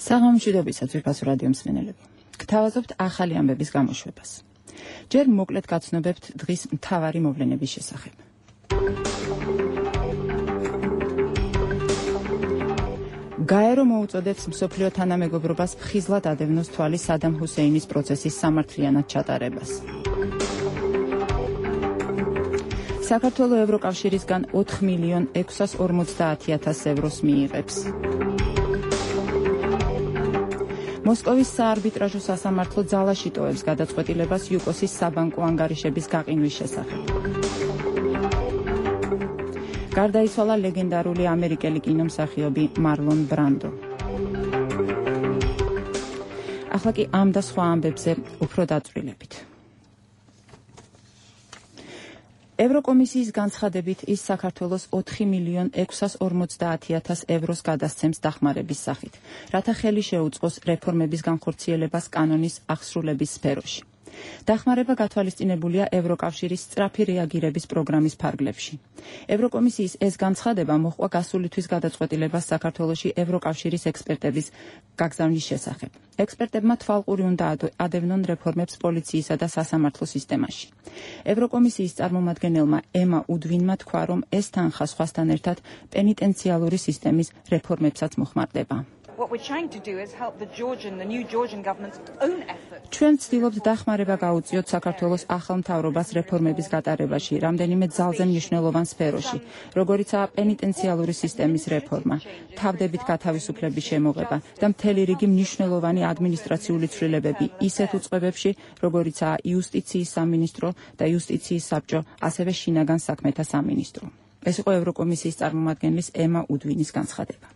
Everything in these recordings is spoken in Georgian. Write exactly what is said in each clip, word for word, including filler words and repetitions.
საღამომშვიდობისა ძვირფასო რადიო მსმენელები. გთავაზობთ ახალი ამბების გამოშვებას. ჯერ მოკლედ გაცნობებთ დღის მთავარი მოვლენების შესახებ. გაერო მოუწოდებს მსოფლიო თანამეგობრობას ფხიზლად ადევნოს თვალი სადამ ჰუსეინის პროცესის სამართლიანად ჩატარებას. საქართველოს ევროკავშირისგან ოთხ მილიონ ექვსას ორმოცდაათი ათას ევროს მიიღებს. მოსკოვის საარბიტრაჟო სასამართლო ძალაში ტოვებს გადაწყვეტილებას იუკოსის საბანკო ანგარიშების გაყინვის შესახებ. გარდაიცვალა ლეგენდარული ამერიკელი კინომსახიობი მარლონ ბრანდო. ახლა კი ამ და სხვა ამბებზე უფრო დაწვრილებით. ევროკომისიის განცხადებით ის საქართველოს ოთხ მილიონ ექვსას ორმოცდაათი ათას ევროს გადასცემს დახმარების სახით, რათა ხელი შეუწყოს რეფორმების განხორციელებას კანონის აღსრულების სფეროში. დახმარება გათვალისწინებულია ევროკავშირის სწრაფი რეაგირების პროგრამის ფარგლებში. ევროკომისიის ეს განცხადება მოჰყვა გასული თვის გადაწყვეტილებას საქართველოში ევროკავშირის ექსპერტების გაგზავნის შესახებ. ექსპერტებმა თვალყური უნდა ადევნონ რეფორმებს პოლიციისა და სასამართლო სისტემაში. ევროკომისიის წარმომადგენელმა ემა უდვინმა თქვა, რომ ეს თანხა სხვასთან ერთად პენიტენციალური სისტემის რეფორმებსაც მოხმარდება. What we're trying to do is help the Georgian, the new Georgian government's own effort. ჩვენ ვცდილობთ დახმარება გაუწიოთ საქართველოს ახალ მთავრობას რეფორმების გატარებაში, რამდენიმე ძალზე მნიშვნელოვან სფეროში, როგორიცაა პენიტენციალური სისტემის რეფორმა, თავდებით გათავისუფლების შემოღება და მთელი რიგი მნიშვნელოვანი ადმინისტრაციული ცვლილებები ისეთ უწყებებში, როგორიცაა იუსტიციის სამინისტრო და იუსტიციის საბჭო, ასევე შინაგან საქმეთა სამინისტრო. ეს იყო ევროკომისიის წარმომადგენლის ემა უდვინის განცხადება.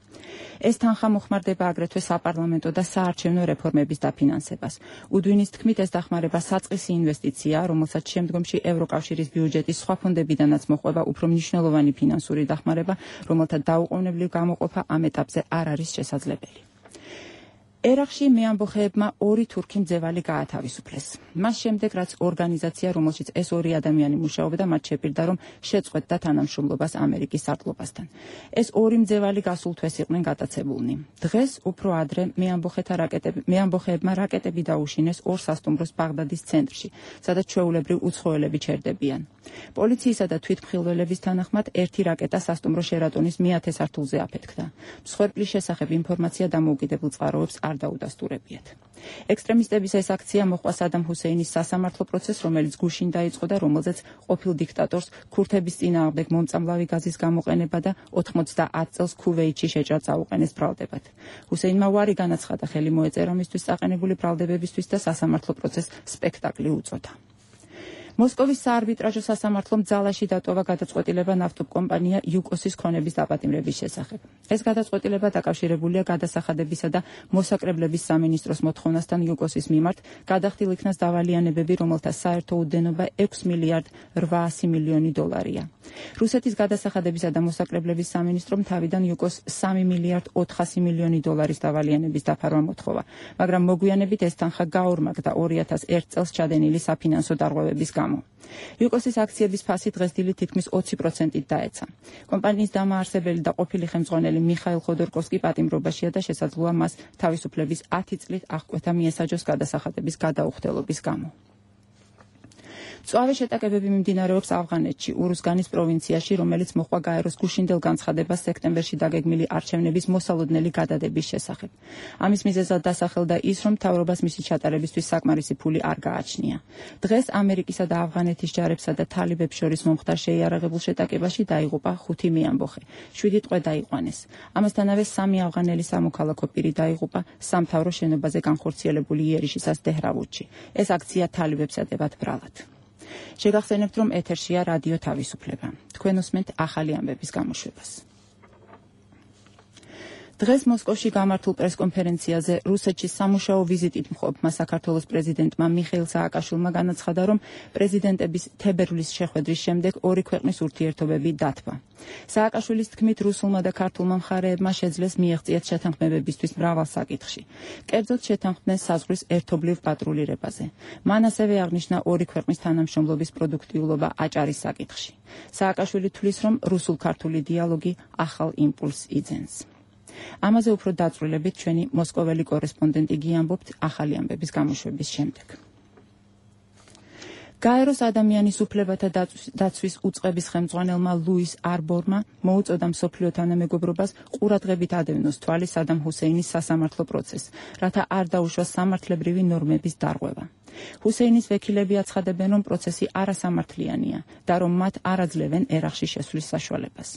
ეს თანხა მოხმარდება აგრეთვე საპარლამენტო და საარჩევნო რეფორმების დაფინანსებას. უდვინის თქმით, ეს დახმარება საწყისი ინვესტიციაა, რომელსაც შემდგომში ევროკავშირის ბიუჯეტის სხვა ფონდებიდანაც მოყვება უფრო მნიშვნელოვანი ფინანსური დახმარება, რომელთა დაუყოვნებლივ გამოყოფა ამ ეტაპზე არ არის შესაძლებელი. ერაყში მეამბოხეებმა ორი თურქი მძევალი გაათავისუფლეს. მას შემდეგ, რაც ორგანიზაცია, რომელშიც ეს ორი ადამიანი მუშაობდა, მათ შეპირდა, რომ შეწყვეტდა თანამშრომლობას ამერიკის სარდლობასთან. ეს ორი მძევალი გასულ თვეს იყვნენ გატაცებულნი. დღეს უფრო ადრე მეამბოხეთა რაკეტები, მეამბოხეებმა რაკეტები დაუშინეს ორ სასტუმროს ბაღდადის ცენტრში, სადაც ჩვეულებრივ უცხოელები ჩერდებიან. პოლიციისა და თვითმხილველების თანახმად ერთი რაკეტა სასტუმრო შერატონის მეათე სართულზე აფეთქდა. მსხვერპლის შესახებ ინფორმაცია დამოუკიდებელ წყაროებს არ დაუდასტურებიათ. ექსტრემისტების ეს აქცია მოჰყვა სადამ ჰუსეინის სასამართლო პროცესს, რომელიც გუშინ დაიწყო და რომელზეც ყოფილ დიქტატორს ქურთების წინააღმდეგ მომწამლავი გაზის გამოყენება და ოთხმოცდაათ წელს ქუვეითში შეჭრა წაუყენეს ბრალდებად. ჰუსეინმა უარი განაცხადა ხელი მოეწერა მისთვის წაყენებული ბრალდებებისთვის და სასამართლო პროცესს სპექტაკლი უწოდა. მოსკოვის საარბიტრაჟო სასამართლომ ძალაში დატოვა გადაწყვეტილება ნავთობკომპანია იუკოსის ქონების დაპატიმრების შესახებ. ეს გადაწყვეტილება დაკავშირებულია გადასახადებისა და მოსაკრებლების სამინისტროს მოთხოვნასთან იუკოსის მიმართ გადახდილ იქნას დავალიანებები, რომელთა საერთო უდენობა ექვს მილიარდ რვაასი მილიონი დოლარია. რუსეთის გადასახადებისა და მოსაკრებლების სამინისტრომ თავიდან იუკოს სამი მილიარდ ოთხასი მილიონი დოლარის დავალიანების დაფარვა მოთხოვა, მაგრამ მოგვიანებით ეს თანხა გაორმაგდა ორი ათას ერთ წელს ჩადენილი საფინანსო დარღვევების გამო. იუკოსის აქციების ფასი დღესდღეობით თითქმის ოცი პროცენტით დაეცა. კომპანიის დამაარსებელი და ყოფილი ხელმძღვანელი მიხაილ ხოდორკოვსკი პატიმრობაშია და შესაძლოა მას თავისუფლების ათი წლით აღკვეთა მიესაჯოს გადასახადების გადაუხდელობის გამო. მწვავე შეტაკებები მიმდინარეობს ავღანეთში, ურუზგანის პროვინციაში, რომელიც მოჰყვა გაეროს გუშინდელ განცხადებას სექტემბერში დაგეგმილი არჩევნების მოსალოდნელი გადადების შესახებ. ამის მიზეზად დასახელდა ის, რომ მთავრობას მისი ჩატარებისთვის საკმარისი ფული არ გააჩნია. დღეს ამერიკისა და ავღანეთის ჯარებსა და თალიბებს შორის მომხდარ შეიარაღებულ შეტაკებაში დაიღუპა ხუთი მეამბოხე. შვიდი ტყვე დაიყვანეს. ამასთანავე სამი ავღანელი სამოქალაქო პირი დაიღუპა სამთავრო შენობაზე განხორციელებული იერიშისას დეჰრავუდში. ეს აქცია თალიბებს ედებათ ბრალად. შეგახსენებთ, რომ ეთერშია რადიო თავისუფლება. თქვენ უსმენთ ახალი ამბების გამოშვებას. დღეს მოსკოვში გამართულ პრესკონფერენციაზე რუსეთში სამუშაო ვიზიტით მყოფმა საქართველოს პრეზიდენტმა მიხეილ სააკაშვილმა განაცხადა, რომ პრეზიდენტების თებერვლის შეხვედრის შემდეგ ორი ქვეყნის ურთიერთობები დათვა. სააკაშვილის თქმით, რუსულმა და ქართულმა მხარეებმა შეძლეს მიეღწიათ შეთანხმებებისთვის მრავალ საკითხში. კერძოდ შეთანხმდნენ საზღვრის ერთობლივ პატრულირებაზე. მან ასევე აღნიშნა ორი ქვეყნის თანამშრომლობის პროდუქტიულობა აჭარის საკითხში. სააკაშვილი თვლის, რომ რუსულ-ქართული დიალოგი ახალ იმპულსს იძენს. ამაზე უფრო დაწვრილებით ჩვენი მოსკოველი კორესპონდენტი გიამბობთ ახალი ამბების გამოშვების შემდეგ. გაეროს ადამიანის უფლებათა დაცვის უწყების ხელმძღვანელმა ლუის არბორმა მოუწოდა მსოფლიო თანამეგობრობას ყურადღებით ადევნოს თვალი სადამ ჰუსეინის სასამართლო პროცესს, რათა არ დაუშვას სამართლებრივი ნორმების დარღვევა. ჰუსეინის ვექილები აცხადებენ, რომ პროცესი არასამართლიანია და რომ მათ არ აძლევენ ერაყში შესვლის საშუალებას.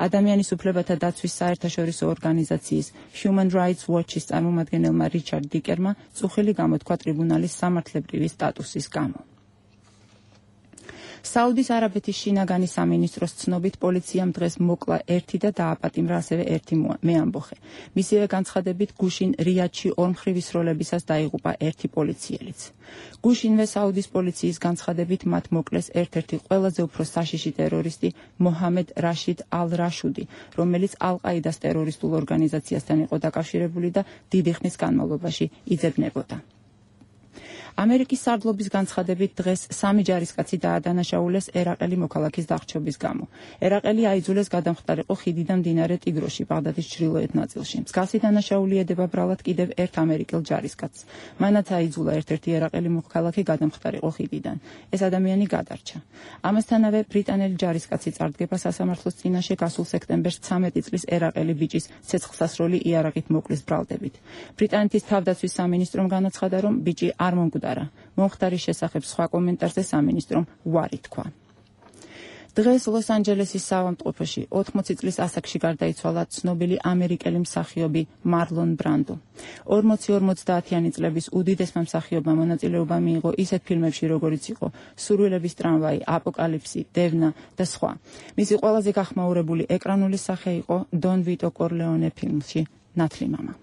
ადამიანის უფლებათა დაცვის საერთაშორისო ორგანიზაციის Human Rights Watch-ის წარმომადგენელმა რიჩარდ დიკერმა წუხილი გამოთქვა ტრიბუნალის სამართლებრივი სტატუსის გამო. საუდის არაბეთის შინაგანი სამინისტროს ცნობით პოლიციამ დღეს მოკლა ერთი და დააპატიმრა ასევე ერთი მეამბოხე. მისივე განცხადებით გუშინ რიადში ორმხრივი სროლებისას დაიღუპა ერთი პოლიციელიც. გუშინვე საუდის პოლიციის განცხადებით მათ მოკლეს ერთ-ერთი ყველაზე უფრო საშიში ტერორისტი მოჰამედ რაშიდ ალ-რაშუდი, რომელიც ალ-ყაიდას ტერორისტულ ორგანიზაციასთან იყო დაკავშირებული და დიდი ხნის განმავლობაში იძებნებოდა. ამერიკის სარდლობის განცხადებით დღეს სამი ჯარისკაცი დაადანაშაულეს ერაყელი მოქალაქის დახჩობის გამო. ერაყელი აიძულეს გადამხტარიყო ხიდიდან მდინარე ტიგროში, ბაღდადის ჩრდილოეთ ნაწილში. მსგავსი დანაშაული ედება ბრალად კიდევ ერთ ამერიკელ ჯარისკაცს. მანაც აიძულა ერთ-ერთი ერაყელი მოქალაქე გადამხტარიყო ხიდიდან. ეს ადამიანი გადარჩა. ამასთანავე ბრიტანელი ჯარისკაცი წარდგება სასამართლოს წინაშე გასულ სექტემბერს ცამეტი წლის ერაყელი ბიჭის ცეცხლსასროლი იარაღით მოკლის ბრალდებით. ბრიტანეთის თავდაცვის სამინისტრომ განაცხადა, რომ ბიჭი არ მომკვდარა. მომხდარის შესახებ სხვა კომენტარზე სამინისტრომ უარი თქვა. დღეს ლოს-ანჯელესის საავადმყოფოში ოთხმოცი წლის ასაკში გარდაიცვალა ცნობილი ამერიკელი მსახიობი მარლონ ბრანდო. ორმოცი ორმოცდაათიანი წლების უდიდესმა მსახიობმა მონაწილეობა მიიღო ისეთ ფილმებში, როგორიც იყო სურვილების ტრამვაი, აპოკალიფსი, დევნა და სხვა. მისი ყველაზე გახმაურებული ეკრანული სახე იყო დონ ვიტო კორლეონე ფილმში ნათლი მამა.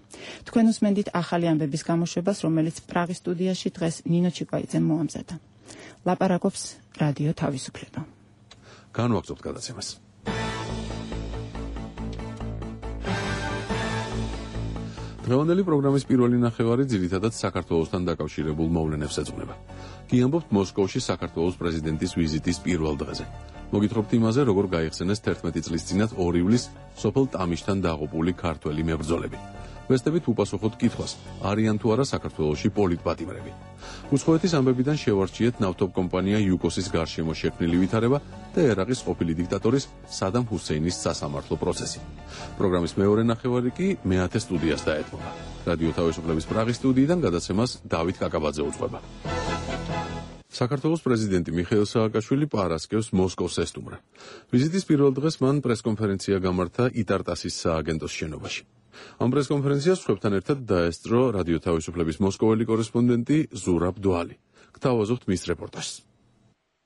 თქვენ უსმენდით ახალი ამბების გამოშვებას, რომელიც პრაღის სტუდიაში დღეს ნინო ჩიკვაიძემ მოამზადა. ლაპარაკობს რადიო თავისუფლება. განვაგრძობთ გადაცემას. დღევანდელი პროგრამის პირველი ნახევარი ძირითადად საქართველოსთან დაკავშირებულ მოვლენებს ეძღვნება. გიამბობთ მოსკოვში საქართველოს პრეზიდენტის ვიზიტის პირველ დღეზე. მოგითხრობთ იმაზე, როგორ გაიხსენეს თერთმეტი წლის წინათ ორი ივლის სოფელ ტამიშთან დაღუპული ქართველი მებრძოლები. ვესტებით უპასუხოთ კითხვას, არიან თუ არა საქართველოში პოლიტპატიმრები. უცხოეთის ამბებიდან შევარჩიეთ ნავთობ კომპანია იუკოსის გარშემო შექმნილი ვითარება და ერაყის ყოფილი დიქტატორის სადამ ჰუსეინის სასამართლო პროცესი. პროგრამის მეორე ნახევარი კი მეათე სტუდიას დაეთმობა. რადიო თავისუფლების პრაღის სტუდიიდან გადაცემას დავით კაკაბაძე უძღვება. საქართველოს პრეზიდენტი მიხეილ სააკაშვილი პარასკევს მოსკოვს ესტუმრა. ვიზიტის პირველ დღეს მან პრესკონფერენცია გამართა იტარტასის სააგენტოს შენობაში. ამ პრესკონფერენციას სხვებთან ერთად დაესწრო რადიო თავისუფლების მოსკოველი კორესპონდენტი ზურაბ დვალი. გთავაზობთ მის რეპორტაჟს.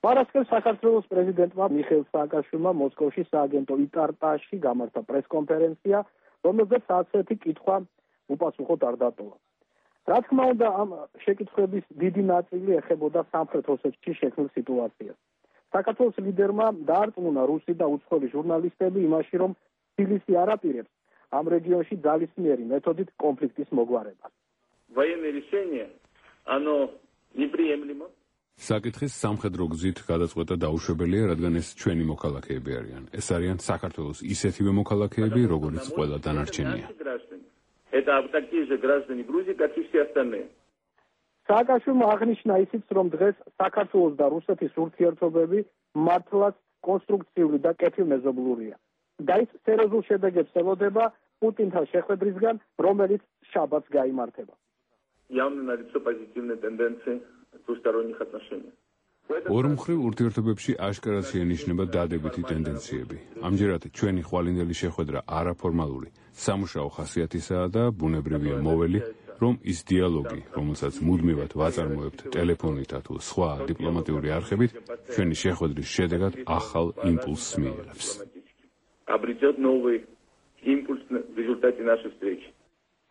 პარასკევს საქართველოს პრეზიდენტმა მიხეილ სააკაშვილმა მოსკოვში სააგენტო იტარტაში გამართა პრესკონფერენცია, რომელზეც ასეთი კითხვა უპასუხოდ არ დატოვა. რა თქმა უნდა, ამ შეკითხვების დიდი ნაწილი ეხებოდა სამხრეთ ოსეთში შექმნილ სიტუაციას. საქართველოს ლიდერმა დაარწმუნა რუსი და უცხოელი ჟურნალისტები იმაში, რომ თბილისი არ აპირებს ამ რეგიონში ძალისმიერი მეთოდით კონფლიქტის მოგვარებას. Военное решение, оно неприемлемо. საკითხის სამხედრო გზით გადაწყვეტა დაუშვებელია, რადგან ეს ჩვენი მოქალაქეები არიან. ეს არიან საქართველოს ისეთივე მოქალაქეები, როგორც ყველა დანარჩენია. Это такие же граждане Грузии, как и все остальные. სააკაშვილმა აღნიშნა ისიც, რომ დღეს საქართველოს და რუსეთის ურთიერთობები მართლაც კონსტრუქციული და კეთილმეზობლურია. და ის სერიოზულ შედეგებს ელოდება პუტინთან შეხვედრისგან, რომელიც შაბათს გაიმართება. Явно налицо позитивные тенденции двусторонних отношений. ორმხრივ ურთიერთობებში აშკარად შეინიშნება დადებითი ტენდენციები. ამჯერად ჩვენი ხვალინდელი შეხვედრა არაფორმალური, სამუშაო ხასიათისაა და ბუნებრივია მოველი, რომ ის დიალოგი, რომელსაც მუდმივად ვაწარმოებთ ტელეფონითა თუ სხვა დიპლომატიური არხებით, ჩვენი შეხვედრის შედეგად ახალ იმპულსს მიიღებს. Обретет новый импульс в результате нашей встречи.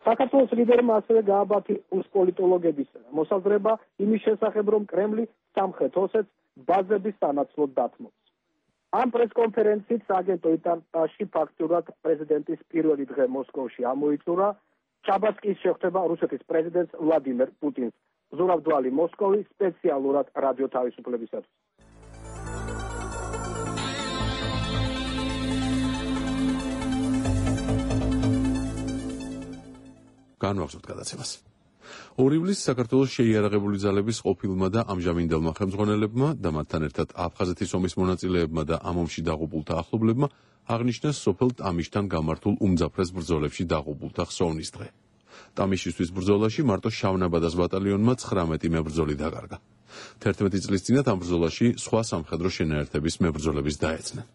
საქართველოს ლიდერმა ასევე გააბათი რუს პოლიტოლოგების მოსაზრება იმის შესახებ, რომ კრემლი სამხრეთ ოსეთს ბაზების სანაცვლოდ დათმობს. ამ პრესკონფერენციით სააგენტო იტარტაში ფაქტურად პრეზიდენტის პირველი დღე მოსკოვში ამოიწურა. შაბათს კი შეხვდება რუსეთის პრეზიდენტს ვლადიმერ პუტინს. ზურაბ დვალი, მოსკოვი, სპეციალურად რადიო თავისუფლებისათვის. განვაგრძობთ გადაცემას. ორი ივლისს საქართველოს შეიარაღებული ძალების ყოფილმა და ამჟამინდელმა ხელმძღვანელებმა და მათთან ერთად აფხაზეთის ომის მონაწილეებმა და ამ ომში დაღუპულთა ახლობლებმა აღნიშნეს სოფელ ტამიშთან გამართულ უმძაფრეს ბრძოლებში დაღუპულთა ხსოვნის დღე. ტამიშისთვის ბრძოლაში მარტო შავნაბადას ბატალიონმა ცხრამეტი მებრძოლი დაკარგა. თერთმეტი წლის წინათ ამ ბრძოლაში სხვა სამხედრო შენაერთების მებრძოლების დაეცნენ.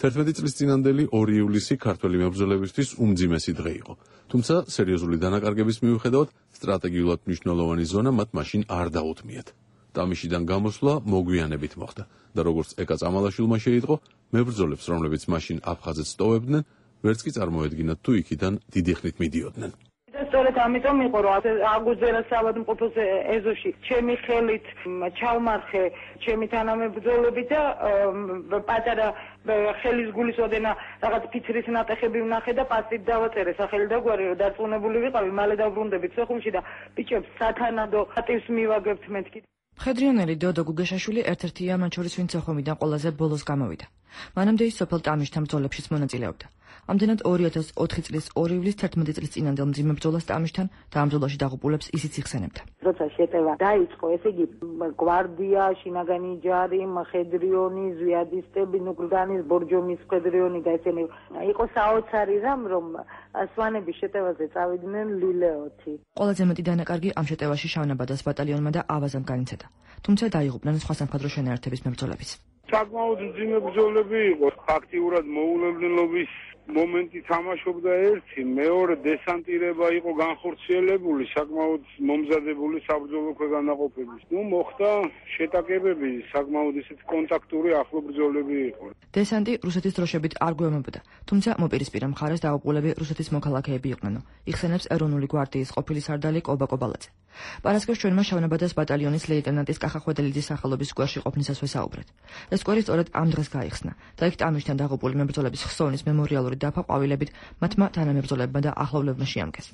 თერთმეტი წლის წინანდელი ორი ივლისი ქართველი მებრძოლებისთვის უმძიმესი დღე იყო. თუმცა სერიოზული დანაკარგების მიუხედავად სტრატეგიულად მნიშვნელოვანი ზონა მათ მაშინ არ დაუთმიათ. ტამიშიდან გამოსვლა მოგვიანებით მოხდა და როგორც ეკა წამალაშვილმა შეიტყო, მებრძოლებს, რომლებიც მაშინ აფხაზეთს ტოვებდნენ, ვერც კი წარმოედგინათ თუ იქიდან დიდი ხნით მიდიოდნენ. სწორედ ამიტომ იყო რომ აგუზერა საავადმყოფოს ეზოში ჩემი ხელით ჩავმარხე ჩემი თანამებრძოლები და პატარა ხელის გულისოდენა რაღაც ფიცრის ნატეხები ვნახე და პასტით დავაწერე სახელი და გვარი რომ დარწმუნებული ვიყავი მალე დავბრუნდებით სოხუმში და ბიჭებს სათანადო ატივს მივაგებთ მეთქი. მხედრიონელი დოდო გუგეშაშვილი ერთ-ერთია მათ შორის ვინც სოხუმიდან ყველაზე ბოლოს გამოვიდა. მანამდე ის სოფელ ტამიშთან ბრძოლებშიც მონაწილეობდა. ამდენად ორი ათას ოთხი წლის ორი ივლისს თერთმეტი წლის წინანდელ მძიმე ბრძოლას ტამიშთან და ამ ბრძოლაში დაღუპულებს ისიც იხსენებდა. როცა შეტევა დაიწყო, ესე იგი გვარდია, შინაგანი ჯარი, მხედრიონი, ზვიადისტები, ნუკლდანის, ბორჯომის მხედრიონი და ესენი იყო საოცარი რამ, რომ სვანების შეტევაზე წავიდნენ ლილეოთი. ყველაზე მეტი დანაკარგი ამ შეტევაში შავნაბადას ბატალიონმა და ავაზამ განიცადა. თუმცა დაიღუპნენ სხვა სამხედრო შენაერთების მებრძოლებიც. საკმაოდ მძიმე ბრძოლები იყო, აქტიურად მოულოდნელობის მომენტი თამაშობდა ერთი, მეორე დესანტირება იყო განხორციელებული, საკმაოდ მომზადებული საბრძოლო ქვეგანაყოფების. ნუ მოხდა შეტაკებები, საკმაოდ ისეთი კონტაქტური ახლო ბრძოლები იყო. დესანტი რუსეთის დროშებით არ გვემებოდა, თუმცა მოპირისპირე მხარეს დაღუპულები რუსეთის მოქალაქეები იყვნენ, იხსენებს ეროვნული გვარდიის ყოფილი სარდალი კობა კობალაძე. პარასკევს ჩვენმა შავნაბადას ბატალიონის ლეიტენანტის კახა ხვედელიძის სახელობის სკვერში ყოფნისას ვესაუბრეთ. ეს სკვერი სწორედ ამ დღეს გაიხსნა და იქ ტამიშთან დაღუპული მებრძოლების ხსოვნის მემორიალური დაფა ყვავილებით მათმა თანამებრძოლებმა და ახლობლებმა შეამკეს.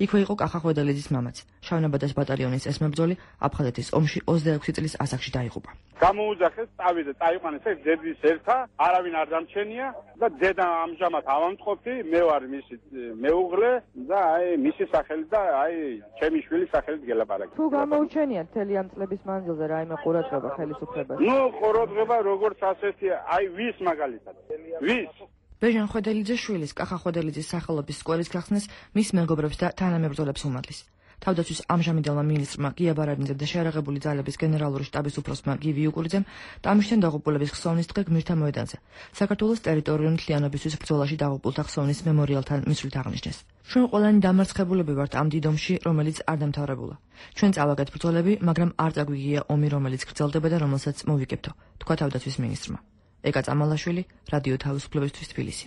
იქვე იყო კახა ხვედელიძის მამაც. შავნაბადას ბატალიონის ეს მებრძოლი აფხაზეთის ომში ოცდაექვსი წლის ასაკში დაიღუპა. გამოუძახეს, წავიდა, წაიყვანეს ეს ძედის ერთა, არავინ არ დამჩენია და ძედა ამჟამად ავამწყობი, მე ვარ მისი მეუღლე და აი მისი სახელით და აი ჩემი შვილის სახელით გელაპარაკე. თუ გამოუჩენია მთელი ამ წლების მანძილზე რაიმე ყურადღება ხელისუფლებას? ნუ ყურადღება როგორც ასეთი, აი ვის მაგალითად? ვის? ბეჟან ხვედელიძის შვილის კახა ხვედელიძის სახელობის სკვერის გახსნას მის მეგობრებს და თანამებრძოლებს უმადლის. თავდაცვის ამჟამინდელმა მინისტრმა გია ბარანიძემ და შეიარაღებული ძალების გენერალური შტაბის უფროსმა გივი უკურიძემ ტამიშთან დაღუპულების ხსოვნის დღე გმირთა მოედანზე საქართველოს ტერიტორიული მთლიანობისთვის ბრძოლაში დაღუპულთა ხსოვნის მემორიალთან მისვლით აღნიშნეს. ჩვენ ყველანი დამარცხებულები ვართ ამ დიდ ომში, რომელიც არ დამთავრებულა. ჩვენ წავაგეთ ბრძოლები, მაგრამ არ წაგვიგია ომი, რომელიც გრძელდება და რომელსაც მოვიგებთო, თქვა თავდაცვის მინისტრმა. ეკა წამალაშვილი, რადიო თავისუფლებისთვის თბილისი.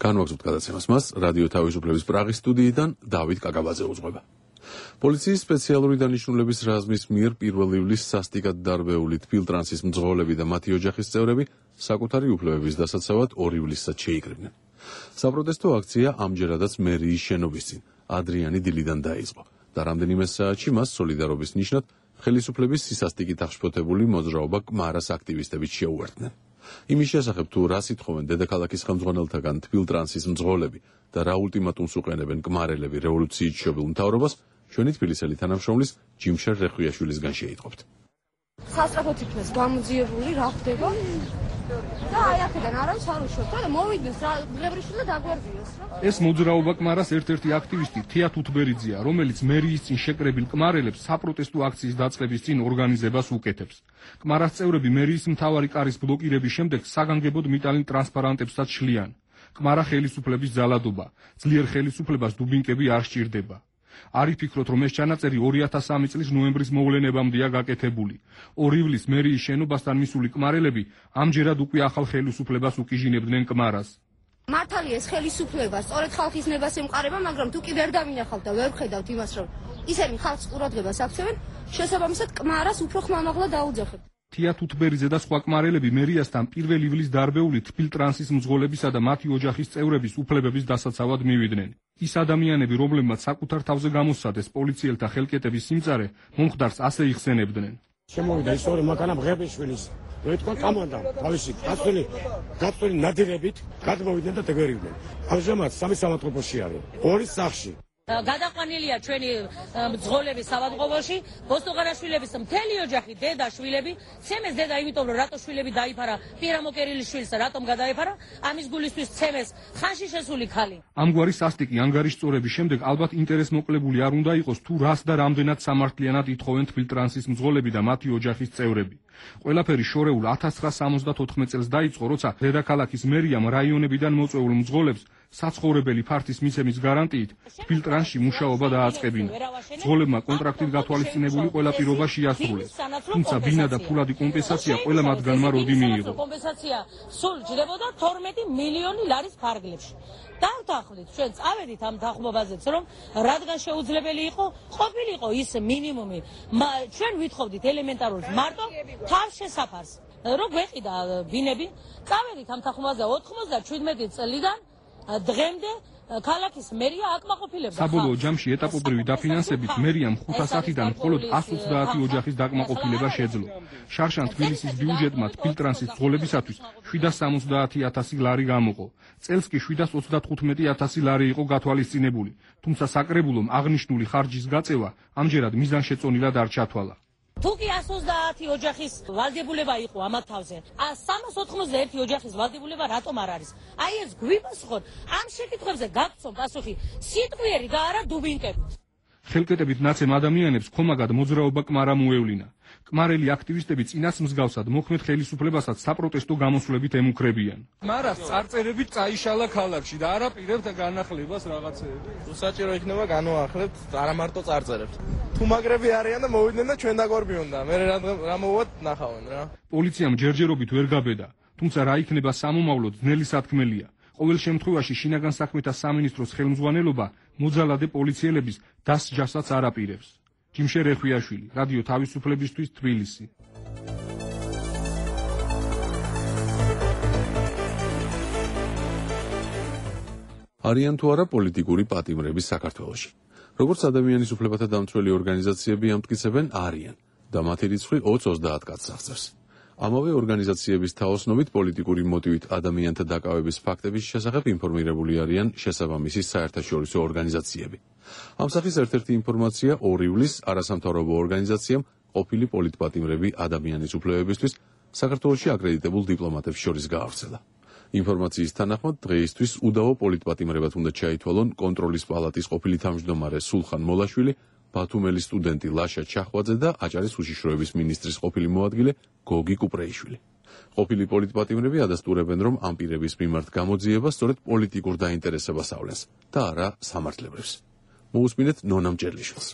განვაგრძობთ გადაცემას მას რადიო თავისუფლების პრაღის სტუდიიდან დავით კაკაბაძე უძღვება. პოლიციის სპეციალური დანიშნულების რაზმის მიერ პირველ ივლისს სასტიკად დარბეული თბილტრანსის მძღოლები და მათი ოჯახის წევრები საკუთარი უფლებების დასაცავად ორი ივლისსაც შეიკრიბნენ. საპროტესტო აქცია ამჯერადაც მერიის შენობის წინ ადრიანი დილიდან დაიწყო და რამდენიმე საათში მას სოლიდარობის ნიშნად ხელისუფლების სისასტიკით აღშფოთებული მოძრაობა კმარას აქტივისტებიც შეუერთდნენ. იმის შესახებ თუ რა სიტყვენ დედაქალაქის ხელმძღვანელთაგან თბილტრანსის მძღოლები და რა ულტიმატუმს უყენებენ კმარელები რევოლუციით შობილ მთავრობას, ჩვენი თბილისელი თანამშრომლის ჯიმშერ რეხვიაშვილისგან შეიტყობთ. სასწრაფოდ იქნეს გამოძიებული რა ხდება და აი აქედან არავის არ უშვებთ და მოვიდეს რა დღებრიშვილი და დაგვერდიოს რა. ეს მოძრაობა კმარას ერთ-ერთი აქტივისტი თია თუთბერიძეა, რომელიც მერიის წინ შეკრებილ კმარელებს საპროტესტო აქციის დაწყების წინ ორგანიზებას უკეთებს. კმარას წევრები მერიის მთავარი კარის ბლოკირების შემდეგ საგანგებოდ მიტალინ ტრანსპარანტებსაც შლიან. კმარა ხელისუფლების ძალადობა, ძლიერ ხელისუფლებას დუბინკები არ სჭირდება. არ იფიქროთ, რომ ეს ჩანაწერი ორი ათას სამი წლის ნოემბრის მოვლენებამდეა გაკეთებული. ორი ივლისს მერიის შენობასთან მისული კმარელები ამჯერად უკვე ახალ ხელისუფლებას უკიჟინებდნენ კმარას. მართალია ეს ხელისუფლება სწორედ ხალხის ნებას ემყარება, მაგრამ თუ კი ვერ დავინახავთ და ვერ ვხედავთ იმას, რომ ისინი ხალხს ყურადღებას აქცევენ, შესაბამისად კმარას უფრო ხმამაღლა დაუძახებთ. თია თუთბერიძე და სხვა კმარელები მერიასთან პირველ ივლისს დარბეული თბილტრანსის მძღოლებისა და მათი ოჯახის წევრების უფლებების დასაცავად მივიდნენ. ის ადამიანები, რომლებმაც საკუთარ თავზე გამოსცადეს პოლიციელთა ხელკეტების სიმწარე, მომხდარს ასე იხსენებდნენ. შემოვიდა ისტორია მაქანა ბღებიშვილის რომ ეთქვა კამანდამ თავისი გაწველი გაწველი ნადირებით გადმოვიდნენ და დეგერივდნენ. ამჟამად სამი სამავთყოფოში არის. ორი სახლში. გადაყვანილია ჩვენი მძღოლები სავადმყოფოში, ბოსტუღარაშვილების მთელი ოჯახი, დედა, შვილები, ცემეს დედა იმიტომ რომ რატო შვილები დაიფარა, პირამოკერილის შვილს რატომ გადაეფარა, ამის გულისთვის ცემეს ხანში შესული ქალი. ამგვარი სასტიკი ანგარიშწორების შემდეგ ალბათ ინტერესმოკლებული არ უნდა იყოს თუ რას და რამდენად სამართლიანად ითხოვენ თბილტრანსის მძღოლები და მათი ოჯახის წევრები. ყველაფერი შორეულ ათას ცხრაასა სამოცდაოთხ წელს დაიწყო, როცა დედაქალაქის მერიამ რაიონებიდან მოწვეულ მძღოლებს საცხოვრებელი ფართის მიცემის გარანტიით თბილტრანსში მუშაობა დააწყებინა. მძღოლებმა კონტრაქტით გათვალისწინებული ყველა პირობა შეასრულეს, თუმცა ბინა და ფულადი კომპენსაცია ყველა მათგანმა როდი მიიღო. კომპენსაცია სულ ჯდებოდა თორმეტი მილიონი ლარის ფარგლებში. დავთანხმდით, ჩვენ წავედით ამ თანხმობაზეც, რომ რადგან შეუძლებელი იყო, ყოფილიყო ის მინიმუმი. ჩვენ ვითხოვდით ელემენტარულად მარტო თავს შესაფარს, რომ გვეყიდა ბინები. წავედით ამ თანხმობაზე ოთხმოცდაჩვიდმეტი წლიდან დღემდე ქალაქის მერია აკმაყოფილებდა. საბოლოო ჯამში ეტაპობრივი დაფინანსებით მერიამ ხუთასათიდან მხოლოდ ასს ოცდაათი ოჯახის დაკმაყოფილება შეძლო. შარშან თბილისის ბიუჯეტმა თბილტრანსის მძღოლებისათვის შვიდას სამოცდაათი ათასი ლარი გამოყო. წელს კი შვიდას ოცდათხუთმეტი ათასი ლარი იყო გათვალისწინებული, თუმცა საკრებულომ აღნიშნული ხარჯის გაწევა ამჯერად მიზანშეწონილად არ ჩათვალა. თუკი ასს ოცდაათი ოჯახის ვალდებულება იყო ამათ თავზე, სამას ოთხმოცდაერთი ოჯახის ვალდებულება რატომ არ არის? აი ეს გვიპასუხოთ, ამ შეკითხვებზე გაგცნობ პასუხი სიტყვიერი და არა დუბინკებით. ხელკეტებით ნაცემ ადამიანებს ხომაგად მოძრაობა კმარა მოევლინა. კმარელი აქტივისტები წინას მსგავსად მოხმედ ხელისუფლებასაც საპროტესტო გამოსვლებით ემუქრებიან. მარას წარწერებით წაიშალა ქალაქში და არა პირებთ განახლებას რაღაცეები. საჭირო იქნება განვაახლებთ, არა მარტო წარწერებთ. თუ მაგრები არიან და მოვიდნენ და ჩვენ დაგვარბიონ და მე რა მოვუვათ ნახავენ რა. პოლიციამ ჯერჯერობით ვერ გაბედა, თუმცა რა იქნება სამომავლოდ ძნელი სათქმელია. ყოველ შემთხვევაში შინაგან საქმეთა სამინისტროს ხელმძღვანელობა მოძალადე პოლიციელების დასჯასაც არ აპირებს. ჯიმშე რეხვიაშვილი, რადიო თავისუფლებისთვის, თბილისი. არიან თუ არა პოლიტიკური პატიმრები საქართველოში. როგორც ადამიანის უფლებათა დამცველი ორგანიზაციები ამტკიცებენ, არიან და მათი რიცხვი ოცდაათ კაცს აღწევს. ამავე ორგანიზაციების თაოსნობით პოლიტიკური მოტივით ადამიანთა დაკავების ფაქტების შესახებ ინფორმირებული არიან შესაბამისი საერთაშორისო ორგანიზაციები. ამ სახის ერთ-ერთი ინფორმაცია ორი ივლისს არასამთავრობო ორგანიზაციამ ყოფილი პოლიტპატიმრები ადამიანის უფლებებისთვის საქართველოში აკრედიტებულ დიპლომატებს შორის გაავრცელა. ინფორმაციის თანახმად დღეისთვის უდავო პოლიტპატიმრებად უნდა ჩაითვალონ კონტროლის პალატის ყოფილი თავმჯდომარე სულხან მოლაშვილი, ბათუმელის სტუდენტი ლაშა ჩახვაძე და აჭარის უშიშროების მინისტრის ყოფილი მოადგილე გოგი კუპრეიშვილი. ყოფილი პოლიტპატიმრები ადასტურებენ, რომ ამ პირების მიმართ გამოძიება სწორედ პოლიტიკურ დაინტერესებას ავლენს და არა სამართლებრივს. მოусმინეთ ნონამ ჭერლიშვილს.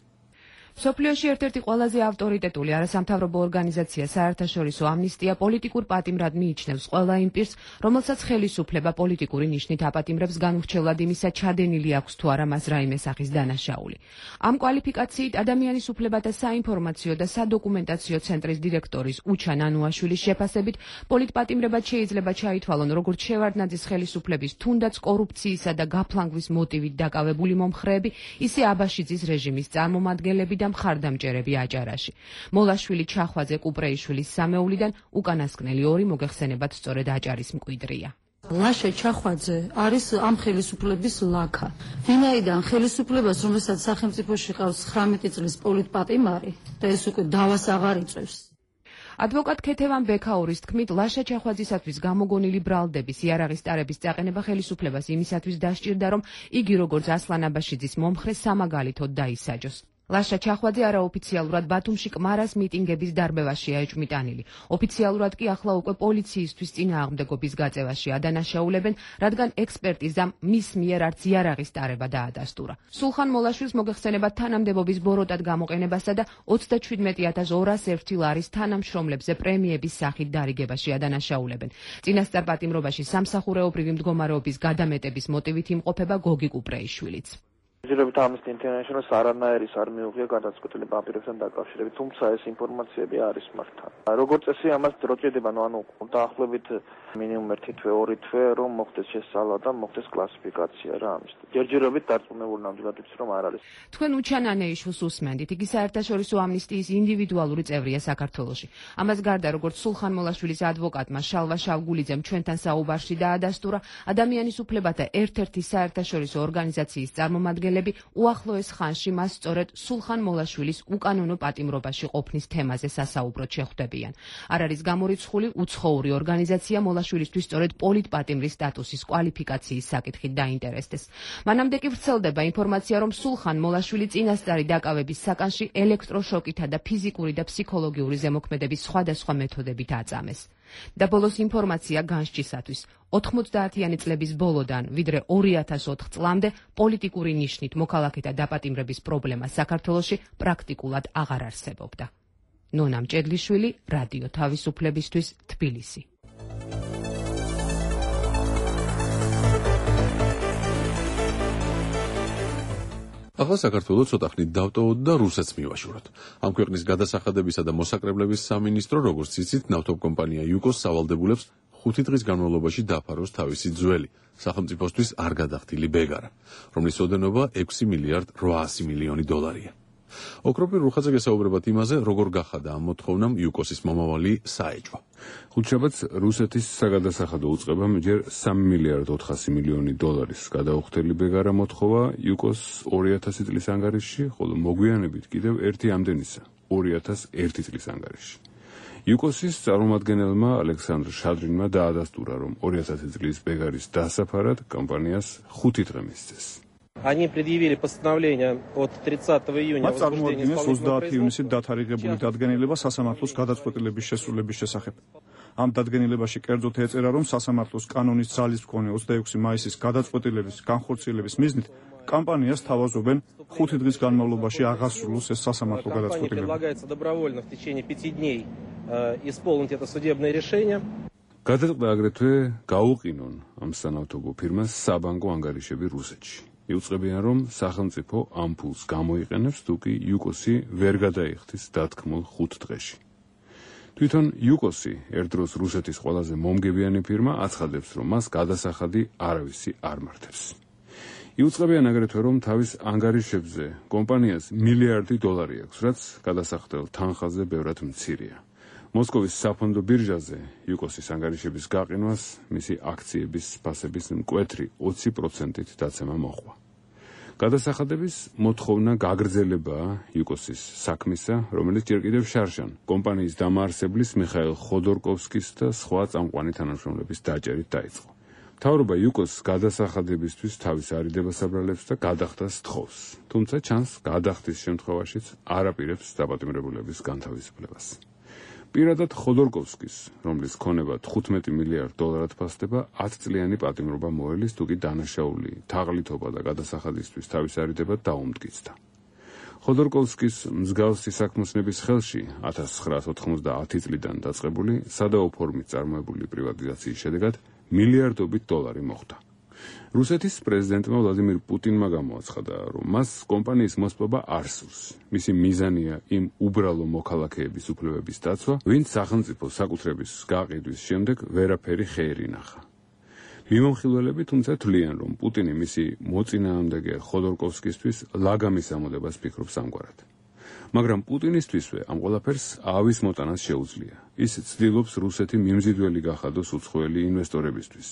მსოფლიოში ერთ-ერთი ყველაზე ავტორიტეტული არასამთავრობო ორგანიზაცია საერთაშორისო ამნისტია პოლიტიკურ პატიმრად მიიჩნევს ყველა იმ პირს, რომელსაც ხელისუფლება პოლიტიკური ნიშნით აპატიმრებს განურჩევლად იმისა ჩადენილი აქვს თუ არა მას რაიმე სახის დანაშაული. ამ კვალიფიკაციით ადამიანის უფლებათა საინფორმაციო და სადოკუმენტაციო ცენტრის დირექტორის უჩა ნანუაშვილის შეფასებით პოლიტპატიმრებად შეიძლება ჩაითვალონ როგორც შევარდნაძის ხელისუფლების თუნდაც კორუფციისა და გაფლანგვის მოტივით დაკავებული მომხრეები, ისე აბაშიძის რეჟიმის წარმომადგენლები და მხარდამჭერები აჭარაში. მოლაშვილი, ჩახვაძე, კუპრეიშვილის სამეულიდან უკანასკნელი ორი მოგეხსენებათ სწორედ აჭარის მკვიდრია. ლაშა ჩახვაძე არის ამ ხელისუფლების ლაქა. ვინაიდან ხელისუფლებას, რომელსაც სახელმწიფოში ყავს ცხრამეტი წლის პოლიტპატიმარი და ეს უკვე დავას აღარ იწევს. ადვოკატ ქეთევან ბექაურის თქმით, ლაშა ჩახვაძისათვის გამოგონილი ბრალდების იარაღის ტარების წაყენება ხელისუფლებას იმისათვის დასჭირდა, რომ იგი როგორც ასლან აბაშიძის მომხრე სამაგალითოდ დაისაჯოს. ლაშა ჩახვაძე არაოფიციალურად ბათუმში კმარას მიტინგების დარბევაშია ეჭვმიტანილი. ოფიციალურად კი ახლა უკვე პოლიციისთვის წინააღმდეგობის გაწევაში ადანაშაულებენ, რადგან ექსპერტიზამ მის მიერ არც იარაღის ტარება დაადასტურა. სულხან მოლაშვილს მოგეხსენებათ თანამდებობის ბოროტად გამოყენებასა და ოცდაჩვიდმეტი ათას ორას ერთი ლარის თანამშრომლებზე პრემიების სახით დარიგებაში ადანაშაულებენ. წინასწარ პატიმრობაში სამსახურეობრივი მდგომარეობის გადამეტების მოტივით იმყოფება გოგი კუპრეიშვილიც. ჯერჯერობით Amnesty International-ს არანაირი არ მიუღია გადაწყვეტილი პაპირებთან დაკავშირებით, თუმცა ეს ინფორმაციები არის მართლა. როგორც წესი ამას დრო ჭირდება, ანუ დაახლოებით მინიმუმ ერთი თვე, ორი თვე, რომ მოხდეს შესწავლა და მოხდეს კლასიფიკაცია რა ამის. ჯერჯერობით დარწმუნებული ნამდვილად ვიცი, რომ არ არის. თქვენ უჩანანეიშვილს უსმენდით, იგი საერთაშორისო ამნისტიის ინდივიდუალური წევრია საქართველოში. ამას გარდა, როგორც სულხან მოლაშვილის ადვოკატმა შალვა შავგულიძემ ჩვენთან საუბარში დაადასტურა, ადამიანის უფლებათა ერთ-ერთი საერთაშორისო ორგანიზაციის წარმომადგენლები უახლოეს ხანში მას სწორედ სულხან მოლაშვილის უკანონო პატიმრობაში ყოფნის თემაზე სასაუბროდ შეხვდებიან. არ არის გამორიცხული უცხოური ორგანიზაცია მოლაშვილისთვის სწორედ პოლიტპატიმრის სტატუსის კვალიფიკაციის საკითხით დაინტერესდეს. მანამდე კი ვრცელდება ინფორმაცია, რომ სულხან მოლაშვილი წინასწარი დაკავების საკანში ელექტროშოკითა და ფიზიკური და ფსიქოლოგიური ზემოქმედების სხვადასხვა მეთოდებით აწამეს. და ბოლოს ინფორმაცია განსჯისათვის, ოთხმოცდაათიანი წლების ბოლოდან, ვიდრე ორი ათას ოთხ წლამდე პოლიტიკური ნიშნით მოქალაქეთა დაპატიმრების პრობლემა საქართველოში პრაქტიკულად აღარ არსებობდა. ნონა მჭედლიშვილი, რადიო თავისუფლებისთვის, თბილისი. ახლა საქართველოს ცოტა ხნით დავტოვოთ და რუსეთს მივაშუროთ. ამ ქვეყნის გადასახადებისა და მოსაკრებლების სამინისტრო, როგორც იცით, ნავთობკომპანია იუკოს სავალდებულებს ხუთი დღის განმავლობაში დაფაროს თავისი ძველი, სახელმწიფოსთვის არ გადახდილი ბეგარა, რომლის ოდენობა ექვსი მილიარდ რვაასი მილიონი დოლარია. ოქროპირ რუხაძე გესაუბრებათ იმაზე, როგორ გახადა ამ მოთხოვნამ იუკოსის მომავალი საეჭვო. ხუთშაბათს რუსეთის საგადასახადო უწყებამ ჯერ სამი მილიარდ ოთხასი მილიონი დოლარის გადაუხდელი ბეგარა მოთხოვა იუკოს ორი ათასი წლის ანგარიშში, ხოლო მოგვიანებით კიდევ ერთი ამდენისა ორი ათას ერთი წლის ანგარიშში. იუკოსის წარმომადგენელმა ალექსანდრ შადრინმა დაადასტურა, რომ ორი ათასი წლის ბეგარის დასაფარად კომპანიას ხუთი დღე მისცეს. Они предъявили постановление от тридцатого июня. მათ წარმოადგენს ოცდაათი ივნისით დათარიღებული დადგენილება სასამართლოს გადაწყვეტილების შესრულების შესახებ. ამ დადგენილებაში კერძოდ ეწერა, რომ სასამართლოს კანონის ძალის მქონე ოცდაექვსი მაისის გადაწყვეტილების განხორციელების მიზნით კომპანიას თავაზობენ ხუთი დღის განმავლობაში აღასრულოს ეს სასამართლო გადაწყვეტილება. Предлагается добровольно в течение пяти дней исполнить это судебное решение. გადაწყდა აგრეთვე გაუყინონ ამ სანავთობო ფირმას საბანკო ანგარიშები რუსეთში. იუწყებიან, რომ სახელმწიფო ამ ფულს გამოიყენებს, თუ კი იუკოსი ვერ გადაიხდის დათქმულ ხუთ დღეში. თვითონ იუკოსი ერთდროს რუსეთის ყველაზე მომგებიანი ფირმა აცხადებს, რომ მას გადასახადი არავისი არ მართებს. იუწყებიან აგრეთვე, რომ თავის ანგარიშებზე კომპანიას მილიარდი დოლარი აქვს, რაც გადასახდელ თანხაზე ბევრად მცირეა. მოსკოვის საფონდო ბირჟაზე იუკოსის ანგარიშების გაყინვას მისი აქციების ფასების მკვეთრი ოცი პროცენტით დაცემა მოჰყვა. გადასახადების მოთხოვნა გაგრძელებაა იუკოსის საქმისა, რომელიც ჯერ კიდევ შარშან კომპანიის დამაარსებლის მიხაილ ხოდორკოვსკის და სხვა წამყვანი თანამშრომლების დაჭერით დაიწყო. მთავრობა იუკოს გადასახადებისთვის თავის არიდებას აბრალებს და გადახდას თხოვს, თუმცა ჩანს გადახდის შემთხვევაშიც არ აპირებს დაპატიმრებულების განთავისუფლებას. პირადად ხოდორკოვსკის, რომლის ქონება თხუთმეტი მილიარდ დოლარად ფასდება, ათი წლიანი პატიმრობა მოელის, თუ კი დანაშაული თაღლითობა და გადასახადისთვის თავის არიდებად დაუმტკიცდა. ხოდორკოვსკის მსგავსი საქმოსნების ხელში ათას ცხრაასი ოთხმოცდაათი წლიდან დაწყებული სადაო ფორმით წარმოებული პრივატიზაციის შედეგად მილიარდობით დოლარი მოხვდა. რუსეთის პრეზიდენტმა ვლადიმირ პუტინმა გამოაცხადა, რომ მას კომპანიის მოსპობა არ სურს. მისი მიზანია იმ უბრალო მოქალაქეების უფლებების დაცვა, ვინც სახელმწიფო საკუთრების გაყიდვის შემდეგ ვერაფერი ხეერი ნახა. მიმომხილველები თუმცა თვლიან, რომ პუტინი მისი მოწინააღმდეგე ხოდორკოვსკისთვის ლაგამის ამოდებას ფიქრობს ამგვარად. მაგრამ პუტინისთვისვე ამ ყველაფერს ავის მოტანას შეუძლია. ის ცდილობს რუსეთი მიმზიდველი გახადოს უცხოელი ინვესტორებისთვის.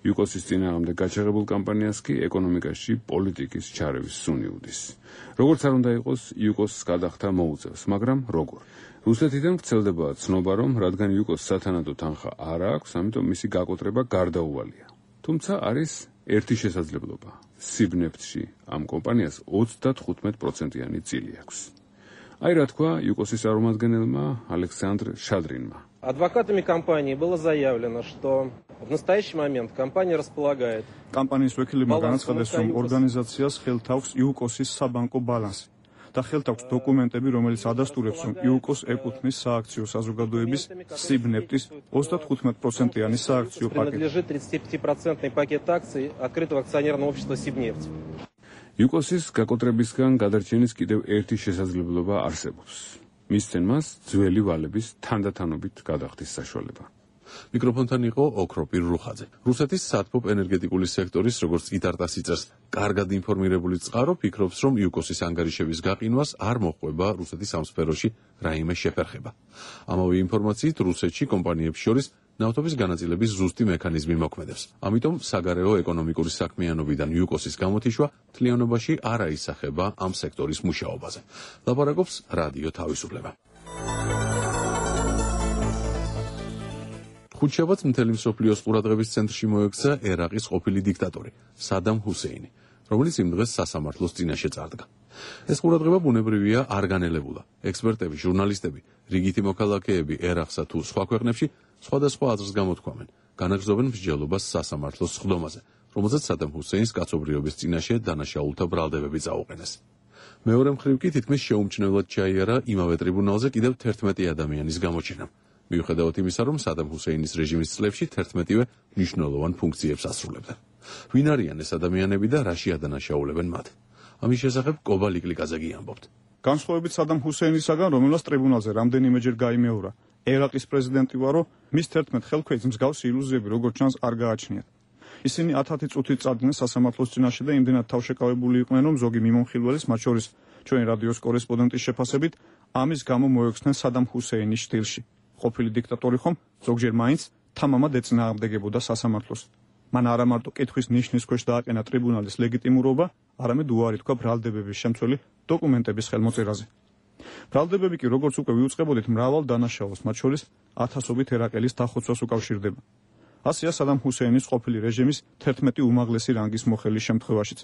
იუკოსის წინააღმდეგ გაჩაღებულ კამპანიას კი ეკონომიკაში პოლიტიკის ჩარევის სუნი უდის. როგორც არ უნდა იყოს, იუკოს გადახდა მოუწევს, მაგრამ როგორ? რუსეთიდან ვრცელდება ცნობა, რომ რადგან იუკოს სათანადო თანხა არ აქვს, ამიტომ მისი გაკოტრება გარდაუვალია. თუმცა არის ერთი შესაძლებლობა. სიბნეფტში ამ კომპანიას ოცდათხუთმეტ პროცენტიანი წილი აქვს. აი რა თქვა იუკოსის წარმომადგენელმა ალექსანდრ შადრინმა. Адвокатами компании было заявлено, что в настоящий момент компания располагает. Компанიის ვექილებმა განაცხადეს, რომ ორგანიზაციას ხელთ აქვს იუკოსის საბანკო ბალანსი და ხელთ აქვს დოკუმენტები, რომელიც ადასტურებს, რომ იუკოს ეკუთვნის სააქციო საზოგადოების სიბნეფტის ოცდათხუთმეტ პროცენტიანი სააქციო პაკეტი. Принадлежит тридцатипятипроцентный пакет акций открытого акционерного общества Сибнефть. იუკოსის გაკოტრებისგან გადარჩენის კიდევ ერთი შესაძლებლობა არსებობს. მისცენ მას ძველი ვალების თანდათანობით გადახდის საშუალება. მიკროფონთან იყო ოქროპირ რუხაძე. რუსეთის სათბობ ენერგეტიკული სექტორის, როგორც იტარტას იწერს, კარგად ინფორმირებული წყარო ფიქრობს, რომ იუკოსის ანგარიშების გაყინვას არ მოჰყვება რუსეთის ამ სფეროში რაიმე შეფერხება. ამავე ინფორმაციით რუსეთში კომპანიებს შორის ნავთობის განაწილების ზუსტი მექანიზმი მოქმედებს. ამიტომ საგარეო ეკონომიკური საქმიანობიდან იუკოსის გამოთიშვა მთლიანობაში არ აისახება ამ სექტორის მუშაობაზე. ლაპარაკობს რადიო თავისუფლება. ხუთშაბათს მთელი მსოფლიოს ყურადღების ცენტრში მოექცა ერაყის ყოფილი დიქტატორი სადამ ჰუსეინი, რომელიც იმ დღეს სასამართლოს წინაშე წარდგა. ეს ყურადღება ბუნებრივია არ განელებულა. ექსპერტები, ჟურნალისტები, რიგითი მოქალაქეები ერაყსა თუ სხვა ქვეყნებში სხვადასხვა აზრს გამოთქვამენ, განაგრძობენ მსჯელობას სასამართლოს სხდომაზე, რომელზეც სადამ ჰუსეინს კაცობრიობის წინაშე დანაშაულთა ბრალდებები წაუყენეს. მეორე მხრივ კი თითქმის შეუმჩნევლად ჩაიარა იმავე ტრიბუნალზე კიდევ თერთმეტი ადამიანის გამოჩენამ. მიუხედავად იმისა, რომ სადამ ჰუსეინის რეჟიმის წლებში თერთმეტივე მნიშვნელოვან ფუნქციებს ასრულებდა. ვინ არიან ეს ადამიანები და რაში ადანაშაულებენ მათ? ამის შესახებ კობა ლიკლიკაძე გიამბობთ. განსხვავებით სადამ ჰუსეინისაგან, რომელსაც ტრიბუნალზე რამდენიმეჯერ გაიმეორა ერაყის პრეზიდენტი ვარო, მის თერთმეტ ხელქვეითს მსგავსი ილუზიები როგორც ჩანს არ გააჩნიათ. ისინი ათათი წუთით წარდგნენ სასამართლოს წინაშე და იმდენად თავშეკავებული იყვნენ, რომ ზოგი მიმომხილველის, მათ შორის ჩვენი რადიოს კორესპონდენტის შეფასებით, ამის გამო მოექცნენ სადამ ჰუსეინის სტილში. ყოფილი დიქტატორი ხომ ზოგჯერ მაინც თამამად ეწინააღმდეგებოდა სასამართლოს. მან არა მარტო კითხვის ნიშნის ქვეშ დააყენა ტრიბუნალის ლეგიტიმურობა, არამედ უარი თქვა ბრალდებების შემცველი დოკუმენტების ხელმოწერაზე. ბრალდებები კი, როგორც უკვე ვიუწყებოდით, მრავალ დანაშაულს, მათ შორის ათასობით ერაყელის დახოცვას უკავშირდება. ასეა სადამ ჰუსეინის ყოფილი რეჟიმის თერთმეტი უმაღლესი რანგის მოხელის შემთხვევაშიც.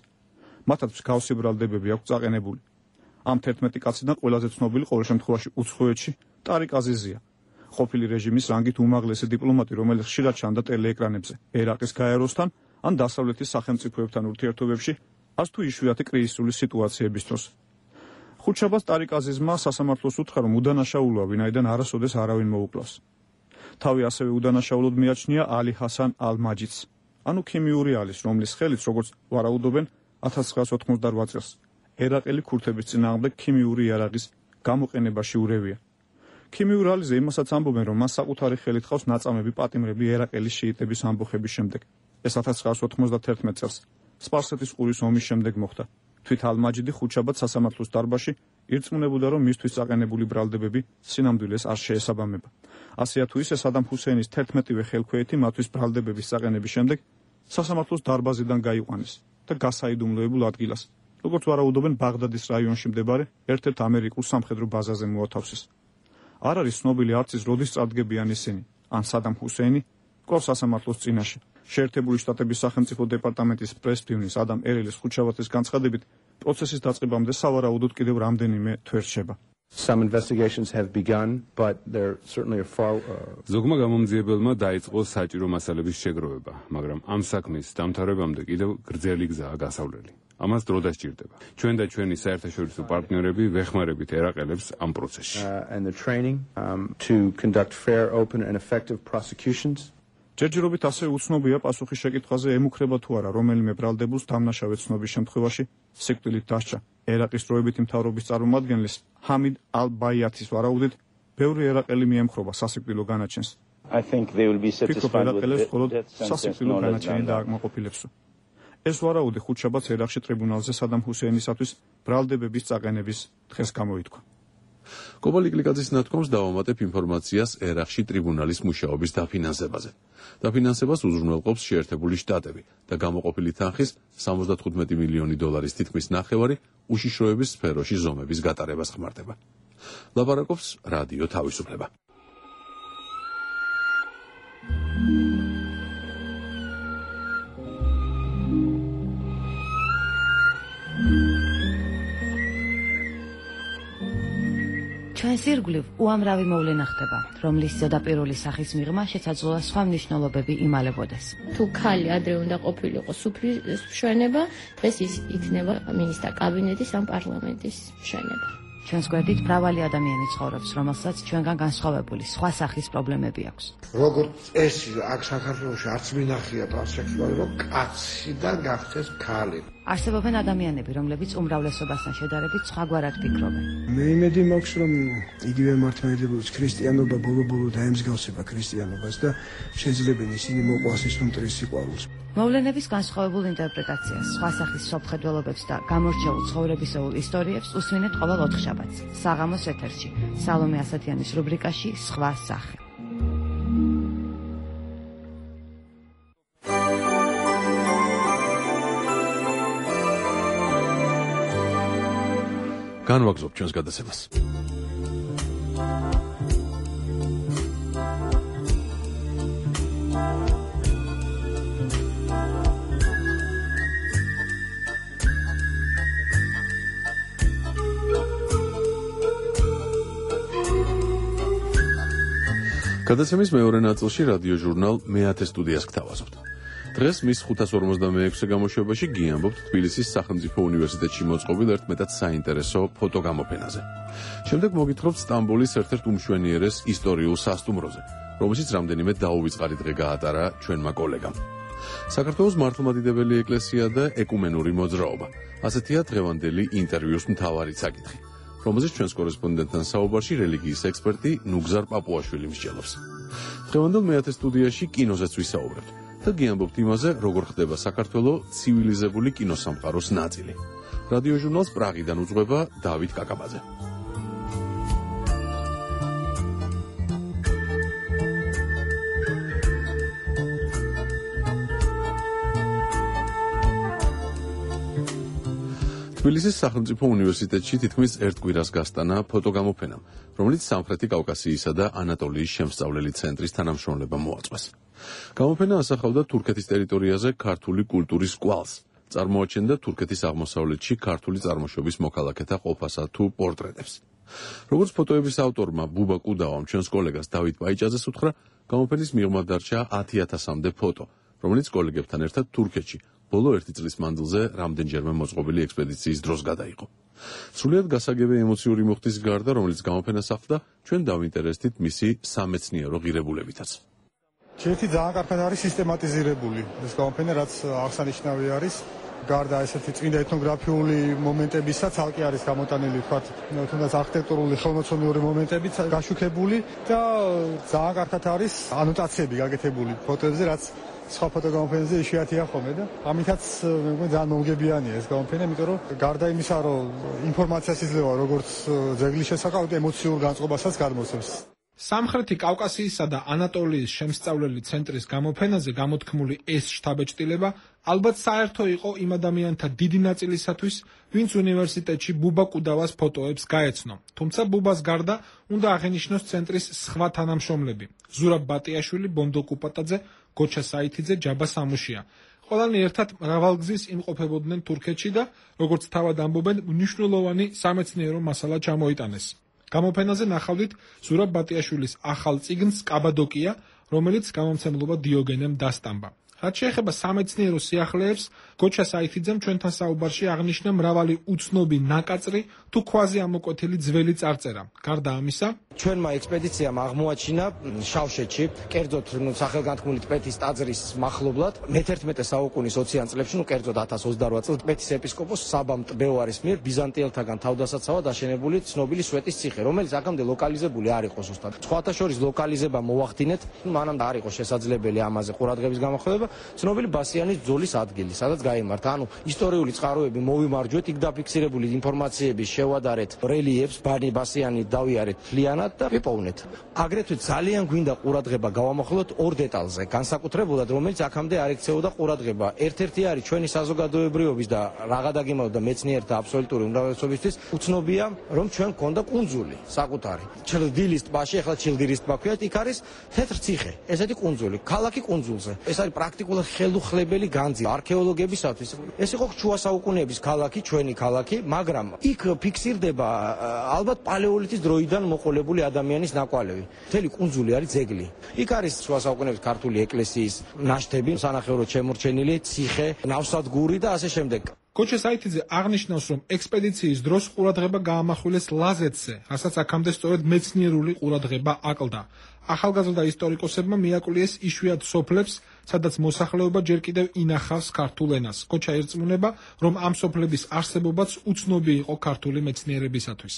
მათაც მსგავსი ბრალდებები აქვს წაყენებული. ამ თერთმეტი კაციდან ყველაზე ცნობილი ყოველ შემთხვევაში უცხოეთში ტარიკ აზიზია. ყოფილი რეჟიმის რანგით უმაღლესი დიპლომატი, რომელიც ხშირად ჩანდა ტელეეკრანებზე ერაყის გაეროსთან ან დასავლეთის სახელმწიფოებთან ურთიერთობებში, არც თუ იშვიათი კრიზისული სიტუაციების დროს. ხუთშაბათს ტარიკ აზიზმა სასამართლოს უთხრა, რომ უდანაშაულოა, ვინაიდან არასოდეს არავინ მოუკლავს. თავი ასევე უდანაშაულოდ მიაჩნია ალი ჰასან ალ-მაჯიდს, ანუ ქიმიური ალის, რომლის ხელით, როგორც ვარაუდობენ, ათას ცხრაას ოთხმოცდაოთხ წელს ერაყელი ქურთების წინააღმდეგ ქიმიური იარაღის გამოყენებაში ურევია. ქიმიურ ალიზე იმასაც ამბობენ, რომ მას საკუთარი ხელით ხავს ნაწამები პატიმრები ერაყელის შიიტების ამბოხების შემდეგ. ეს ათას ცხრაას ოთხმოცდათერთმეტ წელს სპარსეთის ყურის ომის შემდეგ მოხდა. თვით ალ-მაჯიდი ხუთშაბათს სასამართლოს დარბაზში ირწმუნებოდა, რომ მისთვის წაყენებული ბრალდებები სინამდვილეს არ შეესაბამება. ასეა თუ ისე სადამ ჰუსეინის თერთმეტივე ხელქვეითი მათთვის ბრალდებების წაყენების შემდეგ სასამართლოს დარბაზიდან გაიყვანეს და გასაიდუმლოებულ ადგილას, როგორც ვარაუდობენ, ბაღდადის რაიონში მდებარე ერთ-ერთ ამერიკულ სამხედრო ბაზაზე მოათავსეს. არ არის ცნობილი არც ის როდის წარდგებიან ისინი, ან სადამ ჰუსეინი კვლავ სასამართლოს წინაშე. შეერთებული შტატების სახელმწიფო დეპარტამენტის პრეს-ფივნის ადამ ერელის ხუთშაბათის განცხადებით, პროცესის დაწყებამდე სავარაუდოდ კიდევ რამდენიმე თვე რჩება. Some investigations have begun, but there certainly are far ზოგმა გამომძიებელმა დაიწყო საჭირო მასალების შეგროვება, მაგრამ ამ საქმის დამთავრებამდე კიდევ გრძელი გზაა გასავლელი. ამას დრო დასჭირდება. ჩვენ და ჩვენი საერთაშორისო პარტნიორები ვეხმარებით ერაყელებს ამ პროცესში. and the training um, to conduct fair, open and effective prosecutions. ჯერჯერობით ასევე უცნობია პასუხის შეკითხვაზე ემუქრება თუ არა რომელიმე ბრალდებულს დამნაშავე ცნობის შემთხვევაში სიკვდილით დასჯა. ერაყის დროებითი მთავრობის წარმომადგენლის ჰამიდ ალ-ბაიათის ვარაუდით, ბევრი ერაყელი მიემხრობა სასიკვდილო განაჩენს. I think they will be satisfied with it. სასიკვდილო განაჩენი დააკმაყოფილებს. ეს ვარაუდი ხუთშაბათს ერაყში ტრიბუნალზე სადამ ჰუსეინისათვის ბრალდებების წაყენების დღეს გამოითქვა. კობა ლიკლიკაძის ნათქვამს დავამატებ ინფორმაციას ერაყში ტრიბუნალის მუშაობის დაფინანსებაზე. დაფინანსებას უზრუნველყოფს შეერთებული შტატები და გამოყოფილი თანხის სამოცდათხუთმეტი მილიონი დოლარის თითქმის ნახევარი უშიშროების სფეროში ზომების გატარებას ხმარდება. ლაპარაკობს რადიო თავისუფლება. ჩვენს ირგვლივ უამრავი მოვლენა ხდება, რომლის ზედაპირული სახის მიღმა შესაძლოა სხვა მნიშვნელობები იმალებოდეს. თუ ქალი ადრე უნდა ყოფილიყო სუფრის მშვენება, დღეს ის იქნება მინისტრთა კაბინეტის ან პარლამენტის მშვენება. ჩვენს გვერდით მრავალი ადამიანი ცხოვრობს, რომელსაც ჩვენგან განსხვავებული სხვა სახის პრობლემები აქვს. როგორც წესი, აქ საქართველოში არც მინახია ტრანსექსუალი, რომ კაციდან გახდეს ქალი. არსებობენ ადამიანები, რომლებიც უმრავლესობასთან შედარებით სხვაგვარად ფიქრობენ. მე იმედი მაქვს, რომ იგივე მართლმადიდებლობის ქრისტიანობა ბოლო-ბოლო დაემსგავსება ქრისტიანობას და შეძლებენ ისინი მოყვას ის უმტრის სიყვარულს. მოვლენების განსხვავებულ ინტერპრეტაციას, სხვა სახის სოფხედველობებს და გამორჩეულ ცხოვრებისეულ ისტორიებს უსვინეთ ყოველ ოთხშაბათს. საღამოს ეთერში, სალომე ასათიანის რუბრიკაში სხვა სახე. განვაგრძობ ჩვენს გადაცემას. გადაცემის მეორე ნაწილში რადიო ჟურნალ მეათე სტუდიას გთავაზობთ. დღეს მის ხუთას ორმოცდამეექვსე გამოშვებაში გიამბობთ თბილისის სახელმწიფო უნივერსიტეტში მოწყობილ ერთ მეტად საინტერესო ფოტოგამოფენაზე. შემდეგ მოგითხრობთ სტამბოლის ერთ-ერთ უმშვენიერეს ისტორიულ სასტუმროზე, რომელშიც რამდენიმე დაუვიწყარი დღე გაატარა ჩვენმა კოლეგამ. საქართველოს მართლმადიდებელი ეკლესია და ეკუმენური მოძრაობა. ასეთია დღევანდელი ინტერვიუს მთავარი საკითხი, რომელზეც ჩვენს კორესპონდენტთან საუბარში რელიგიის ექსპერტი ნუგზარ პაპუაშვილი მსჯელობს. დღევანდელ მეათე სტუდიაში კინოზეც ვისაუბრებთ და გიამბობთ იმაზე, როგორ ხდება საქართველოს ცივილიზებული კინოსამყაროს ნაწილი. რადიო ჟურნალს პრაღიდან უძღვება დავით კაკაბაძე. თბილისის სახელმწიფო უნივერსიტეტში თითქმის ერთ კვირას გასტანა ფოტოგამოფენამ, რომელიც სამხრეთი კავკასიისა და ანატოლიის შემსწავლელი ცენტრის თანამშრომლებამ მოაწყვეს. გამოფენა ასახავდა თურქეთის ტერიტორიაზე ქართული კულტურის კვალს, წარმოაჩენდა თურქეთის აღმოსავლეთში ქართული წარმოშობის მოქალაქეთა ყოფასა თუ პორტრეტებს. როგორც ფოტოების ავტორმა ბუბა კუდავამ ჩვენს კოლეგას დავით პაიჭაძეს უთხრა, გამოფენის მიღმა დარჩა ათი ათასამდე ფოტო, რომელიც კოლეგებთან ერთად თურქეთში ბოლო ერთი წლის მანძილზე რამდენჯერმე მოწყობილი ექსპედიციის დროს გადაიღო. სრულიად გასაგებია ემოციური მუხტის გარდა, რომელიც გამოფენას ახლდა, ჩვენ დავინტერესდით მისი სამეცნიერო ღირებულებითაც. ერთი ძალიან კარგად არის სისტემატიზირებული ეს გამოფენა, რაც აღსანიშნავი არის. გარდა ესეთი წმინდა ეთნოგრაფიული მომენტებისა, ცალკე არის გამოტანილი, ვთქვათ, თუნდაც არქიტექტურული ხელმოცემული მომენტებიც გაშუქებული და ძალიან კარგად არის ანოტაციები გაკეთებული ფოტოებზე, რაც სხვა ფოტოგამოფენებზე იშვიათია ხოლმე და ამითაც მე მგონი ძალიან მომგებიანია ეს გამოფენა, იმიტომ რომ გარდა იმისა, რომ ინფორმაციას იძლევა როგორც ძეგლის შესახებ, ემოციურ განწყობასაც გადმოსცემს. სამხრეთი კავკასიისა და ანატოლიის შემსწავლელი ცენტრის გამოფენაზე გამოთქმული ეს შთაბეჭდილება ალბათ საერთო იყო იმ ადამიანთა დიდი ნაწილისათვის, ვინც უნივერსიტეტში ბუბა კუდავას ფოტოებს გაეცნო. თუმცა ბუბას გარდა უნდა აღენიშნოს ცენტრის სხვა თანამშრომლები: ზურაბ ბატიაშვილი, ბონდო კუპატაძე, გოჩა საითიძე, ჯაბა სამუშია. ყველანი ერთად მრავალგზის იმყოფებოდნენ თურქეთში და, როგორც თავად ამბობენ, მნიშვნელოვანი სამეცნიერო მასალა ჩამოიტანეს. გამოფენაზე ნახავდით ზურაბ ბატიაშვილის ახალ წიგნს კაბადოკია, რომელიც გამომცემლობა დიოგენემ დასტამბა. რაც შეეხება სამეცნიერო სიახლეებს, გოჩა საითიძემ ჩვენთან საუბარში აღნიშნა მრავალი უცნობი ნაკაწრი თუ ქვაზე ამოკვეთილი ძველი წარწერა. გარდა ამისა, ჩვენმა ექსპედიციამ აღმოაჩინა შავშეთში, კერძოდ სახელგანთქმული ტბეთის ტაძრის მახლობლად, მეთერთმეტე საუკუნის ოციან წლებში, ნუ კერძოდ ათას ოცდარვაც წელს ტბეთის ეპისკოპოს საბამ ტბევარის მიერ ბიზანტიელთაგან თავდასაცავად აშენებული ცნობილი სვეტის ციხე, რომელიც აქამდე ლოკალიზებული არ იყო ზუსტად. სხვათა შორის ლოკალიზება მოახდინეთ, მანამდე არ იყო შესაძლებელი ამაზე ყურადღების გამახვილება, ცნობილი ბასიანის ბრძოლის ადგილი, სადაც გაიმართა. ანუ ისტორიული წყაროები მოვიმარჯვეთ, იქ დაფიქსირებული ინფორმაციების შევადარეთ, რელიეფს ბანი ბასიანი დავიარეთ მთლიანად და ვიპოვნეთ. აგრეთვე ძალიან გვინდა ყურადღება გავამახვილოთ ორ დეტალზე, განსაკუთრებულად რომელიც აქამდე არ ექცეოდა ყურადღება. ერთ-ერთი არის ჩვენი საზოგადოებრიობის და რაღა დაგემოვდა მეცნიერთა აბსოლუტური უმრავლესობისთვის უცნობია, რომ ჩვენ გქონდა კუნძული საკუთარი. ჩილდილის ტბაში, ახლა ჩილდილის ტბა ქვიათ, იქ არის თეთრ ციხე, ესეთი კუნძული, ქალაქი კუნძულზე. ეს არის პრაქტიკულად ხელუხლებელი განძი არქეოლოგებისათვის. ეს იყო შუა საუკუნეების ქალაქი, ჩვენი ქალაქი, მაგრამ იქ ფიქსირდება ალბათ პალეოლითის დროიდან მოყოლებული ადამიანის ნაკვალევი. მთელი კუნძული არის ძეგლი. იქ არის შუა საუკუნეების ქართული ეკლესიის ნაშთები, სანახევროდ შემორჩენილი ციხე, ნავსადგური და ასე შემდეგ. გოჩა საითიძე აღნიშნავს, რომ ექსპედიციის დროს ყურადღება გაამახვილეს ლაზეთზე, რასაც აქამდე სწორედ მეცნიერული ყურადღება აკლდა. ახალგაზრდა ისტორიკოსებმა მიაკლიეს იშვიათ სოფლებს, სადაც მოსახლეობა ჯერ კიდევ ინახავს ქართულ ენას. კოჩა ერწმუნება, რომ ამ სოფლების არსებობაც უცნობი იყო ქართული მეცნიერებისათვის.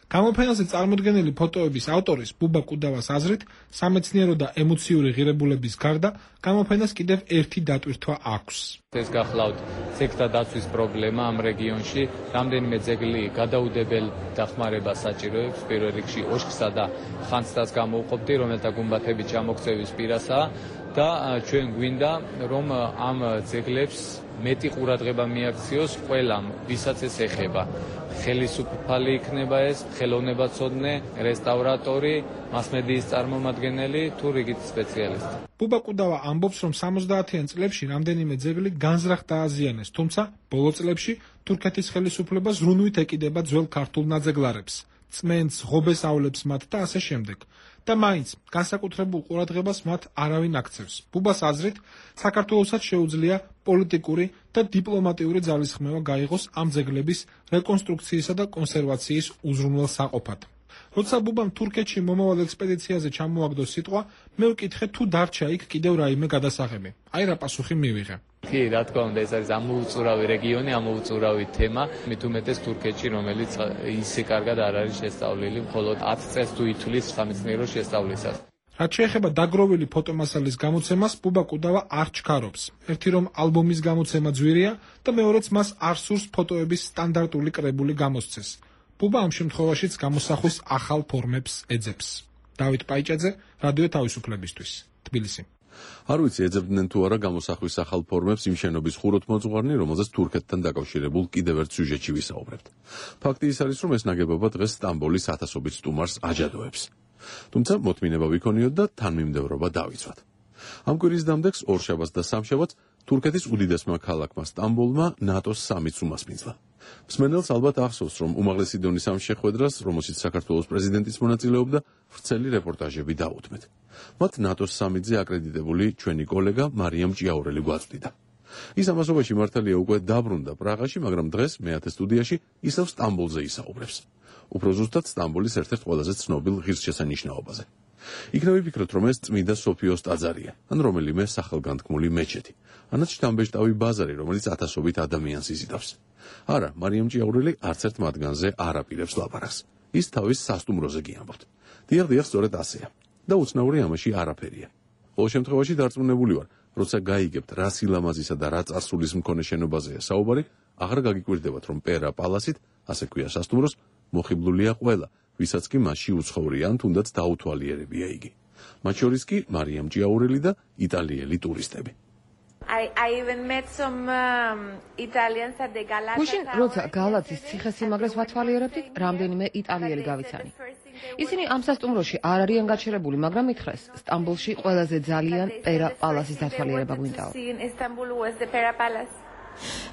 გამოფენაზე წარმოდგენილი ფოტოების ავტორის ბუბა კუდავას აზრით, სამეცნიერო და ემოციური ღირებულების გარდა, გამოფენას კიდევ ერთი დატვირთვა აქვს. ეს გახლავთ ძეგლთა დაცვის პრობლემა ამ რეგიონში, რამდენიმე ძეგლი გადაუდებელ დახმარებას საჭიროებს, პირველ რიგში ოშკსა და ხანძთას გამოუყოფდი, რომელთა გუმბათების ჩამოქცევის პირასაა და ჩვენ გვინდა, რომ ამ ძეგლებს მეტი ყურადღება მიაქციოს ყველამ, ვისაც ეს ეხება. ხელისუფალი იქნება ეს, ხელოვნებაცოდნე, რესტავრატორი, მასმედიის წარმომადგენელი თუ რიგით სპეციალისტი. ბუბა კუდავა ამბობს, რომ სამოცდაათიან წლებში რამდენიმე ძეგლი განზრახ დააზიანეს, თუმცა ბოლო წლებში თურქეთის ხელისუფლება ზრუნვით ეკიდება ძველ ქართულ ნაძეგლარებს, წმენდს, ღობეს ავლებს მათ და ასე შემდეგ. და მაინც განსაკუთრებულ ყურადღებას მათ არავინ აქცევს. ბუბას აზრით, საქართველოსაც შეუძლია პოლიტიკური და დიპლომატიური ძალისხმევა გაიღოს ამ ძეგლების რეკონსტრუქციისა და კონსერვაციის უზრუნველ საყოფად. როცა ბუბამ თურქეთში მომავალ ექსპედიციაზე ჩამოაგდო სიტყვა, მე ვკითხე თუ დარჩა იქ კიდევ რაიმე გადასაღები. აი რა პასუხი მივიღე. კი, რა თქმა უნდა, ეს არის ამოუწურავი რეგიონი, ამოუწურავი თემა, მით უმეტეს თურქეთში, რომელიც ისე კარგად არ არის შესწავლილი, მხოლოდ ათ წელს თუ ითვლის სამეცნიერო შესწავლისას. რაც შეეხება დაგროვილი ფოტომასალის გამოცემას, ბუბა კუდავა არ ჩქარობს. ერთი რომ ალბომის გამოცემა ძვირია და მეორეც მას არ სურს ფოტოების სტანდარტული კრებული გამოსცეს. ბუბა ამ შემთხვევაშიც გამოსახვის ახალ ფორმებს ეძებს. დავით პაიჭაძე, რადიო თავისუფლებისთვის, თბილისი. არ ვიცი ეძებდნენ თუ არა გამოსახვის ახალ ფორმებს იმ შენობის ხუროთმოძღვარნი, რომელზეც თურქეთთან დაკავშირებულ კიდევ ერთ სიუჟეტში ვისაუბრებთ. ფაქტი ის არის, რომ ეს ნაგებობა დღეს სტამბოლის ათასობით სტუმარს აჯადოებს. თუმცა მოთმინება ვიქონიოთ და თანმიმდევრობა დავიცვათ. ამ კვირის დამდეგს ორშაბათს და სამშაბათს თურქეთის უდიდესმა ქალაქმა სტამბოლმა ნატოს სამიტს უმასპინძლა. მსმენელს ალბათ ახსოვს, რომ უმაღლესი დონის ამ შეხვედრას, რომელშიც საქართველოს პრეზიდენტიც მონაწილეობდა, ვრცელი რეპორტაჟები დაუთმეთ. მათ ნატოს სამიტზე აკრედიტებული ჩვენი კოლეგა მარიამ ჭიაურელი გვაწვდიდა. ის ამასობაში მართალია უკვე დაბრუნდა პრაღაში, მაგრამ დღეს მეათე სტუდიაში ისევ სტამბოლზე ისაუბრებს. უფრო ზუსტად სტამბოლის ერთ-ერთ ყველაზე ცნობილ ღირსშესანიშნაობაზე. იქნებ ვიფიქროთ, რომ ეს წმიდა სოფიოს ტაძარია, ან რომელიმე სახელგანთქმული მეჩეთი, ანაც შთამბეჭდავი ბაზარი, რომელიც ათასობით ადამიანს იზიდავს. არა, მარიამ ჭიაურელი არც ერთ მათგანზე არ აპირებს ლაპარაკს. ის თავის სასტუმროზე გიამბობთ. დიახ, დიახ, სწორედ ასეა. და უცნაური ამაში არაფერია. ყოველ შემთხვევაში დარწმუნებული ვარ, როცა გაიგებთ, რა სილამაზისა და რა წარსულის მქონე შენობაზეა საუბარი, აღარ გაგიკვირდებათ, რომ პერა პალასით, ასე ქვია სასტუმროს, მოხიბლულია ყველა, ვისაც კი მასში უცხოვრიან, თუნდაც დაუთვალიერებია იგი. მათ შორის კი მარიამ ჭიაურელი და იტალიელი ტურისტები. I, I even met some um, Italians at the Galata. გუშინ როცა გალათის ციხესიმაგრეს ვათვალიერებდით, რამდენიმე იტალიელი გავიცანი. ისინი ამ სასტუმროში არ არიან გაჩერებული, მაგრამ მითხრეს, სტამბოლში ყველაზე ძალიან პერა პალასის დათვალიერება გვინდაო.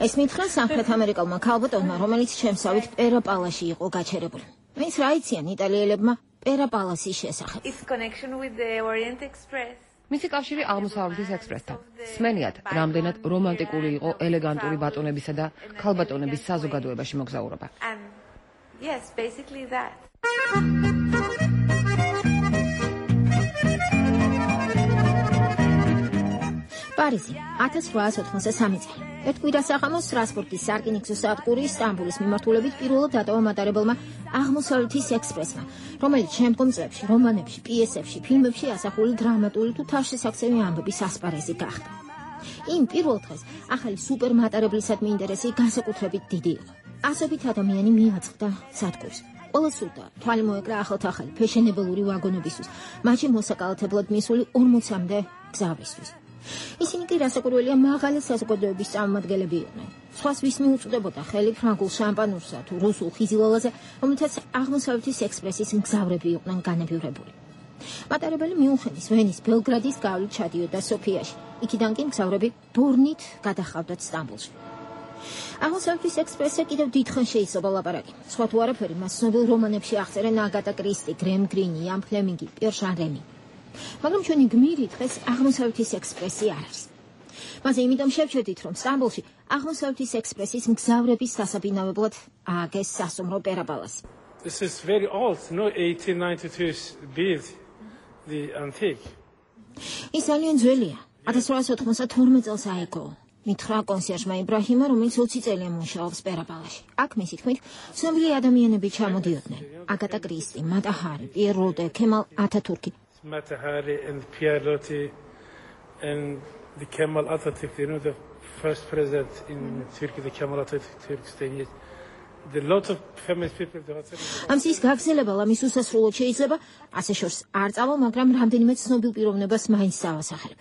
ეს მითხრა სამხრეთ ამერიკელმა ქალბატონმა, რომელიც ჩემსავით პერა პალასში იყო გაჩერებული. მის რა იციან იტალიელებმა პერა პალასის შესახებ? Its connection with the Orient Express. მისი კავშირი აღმოსავლეთის ექსპრესთან. სმენიათ, რამდენად რომანტიკული იყო ელეგანტური ბატონებისა და ქალბატონების საზოგადოებაში მოგზაურობა. And yes, basically that. პარიზი, ათას რვაას ოთხმოცდასამი წელი. ერთ კვირას აღამოს სტრასბურგის სარკინიგზო სადგური სტამბოლის მიმართულებით პირველად დატოვა მატარებელმა აღმოსავლეთის ექსპრესმა, რომელიც შემდგომ წლებში რომანებში, პიესებში, ფილმებში ასახული დრამატული თუ თავშესაქცევი ამბების ასპარეზი გახდა. იმ პირველ დღეს ახალი სუპერმატარებლისადმი ინტერესი განსაკუთრებით დიდი იყო. ასობით ადამიანი მიაწყდა სადგურს. ყველა სულდა თვალი მოეკრა ახალ-ახალი ფეშენებელური ვაგონებისთვის, მათში მოსაკალათებლად მისული ორმოცამდე გზავრისთვის. ისინი კი რასაკვირველია მაღალი საზოგადოების წარმომადგენლები იყვნენ. სხვას ვის მიუწვდებოდა ხელი ფრანგულ შამპანურსა თუ რუსულ ხიზილალაზე, რომელთაც აღმოსავლეთის ექსპრესის მგზავრები იყვნენ განებივრებული. მატარებელი მიუნხენის, ვენის, ბელგრადის გავლით ჩადიოდა სოფიაში. იქიდან კი მგზავრები ბორნით გადახავდათ სტამბოლში. აღმოსავლეთის ექსპრესზე კიდევ დიდხანს შეიძლება ლაპარაკი. სხვა თუ არაფერი, მას ცნობილ რომანებში აღწერენ აგატა კრისტი, გრემ გრინი, იან ფლემინგი, პიერ ჟანრენი. მაგრამ ჩვენი გმირი დღეს აღმოსავლეთის ექსპრესი არ არის. მასე იმიტომ შევჩერდით, რომ სტამბოლში აღმოსავლეთის ექსპრესის მგზავრების დასაბინავებლად ააგეს სასტუმრო პერა პალასი. This is very old, no eighteen ninety-two built, the antique. ის ძალიან ძველია. ათას რვაასი ოთხმოცდათორმეტ წელს აიგო. მითხრა კონსიერჟმა იბრაჰიმა, რომელიც ოცი წელია მუშაობს პერაპალაში. აქ მისი თქმით, ცნობილი ადამიანები ჩამოდიოდნენ. აგატა კრისტი, მატა ჰარი, პიერ როტე, ქემალ ათათურქი. Mata Hari and Pierre Loti and the Kemal Atatürk, you know, the first president in Turkey, the Kemal Atatürk stayed. The lot of famous people. ამ სიის გაგრძელება ლამის უსასრულოდ შეიძლება, ასე შორს არ წავა, მაგრამ რამდენიმე ცნობილ პიროვნებას მაინც დავასახელებ.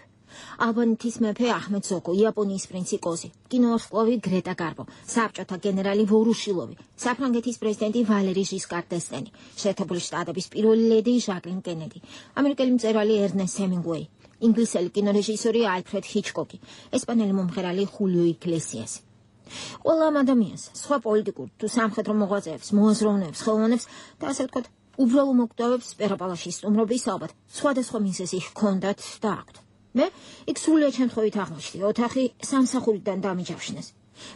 ალბანეთის მეფე აჰმედ ზოგო, იაპონიის პრინცი კოზი, კინოვარსკვლავი გრეტა გარბო, საბჭოთა გენერალი ვორუშილოვი, საფრანგეთის პრეზიდენტი ვალერი ჟისკარ დესტენი, შეერთებული შტატების პირველი ლედი ჟაკლინ კენედი, ამერიკელი მწერალი ერნესტ ჰემინგუეი, ინგლისელი კინორეჟისორი ალფრედ ჰიჩკოკი, ესპანელი მომღერალი ხულიო იგლესიასი. ყველა ამ ადამიანს, სხვა პოლიტიკურ თუ სამხედრო მოღვაწეებს, მოაზროვნეებს, ხელოვნებს და ასე ვთქვათ, უბრალო მოკვდავებს პერაპალაში სტუმრობის ალბათ სხვადასხვა მიზეზი ჰქონდათ და აქვთ. მე იქ სრულიად შემთხვევით აღმოჩნდი, ოთახი სამსახურიდან დამიჯავშნეს.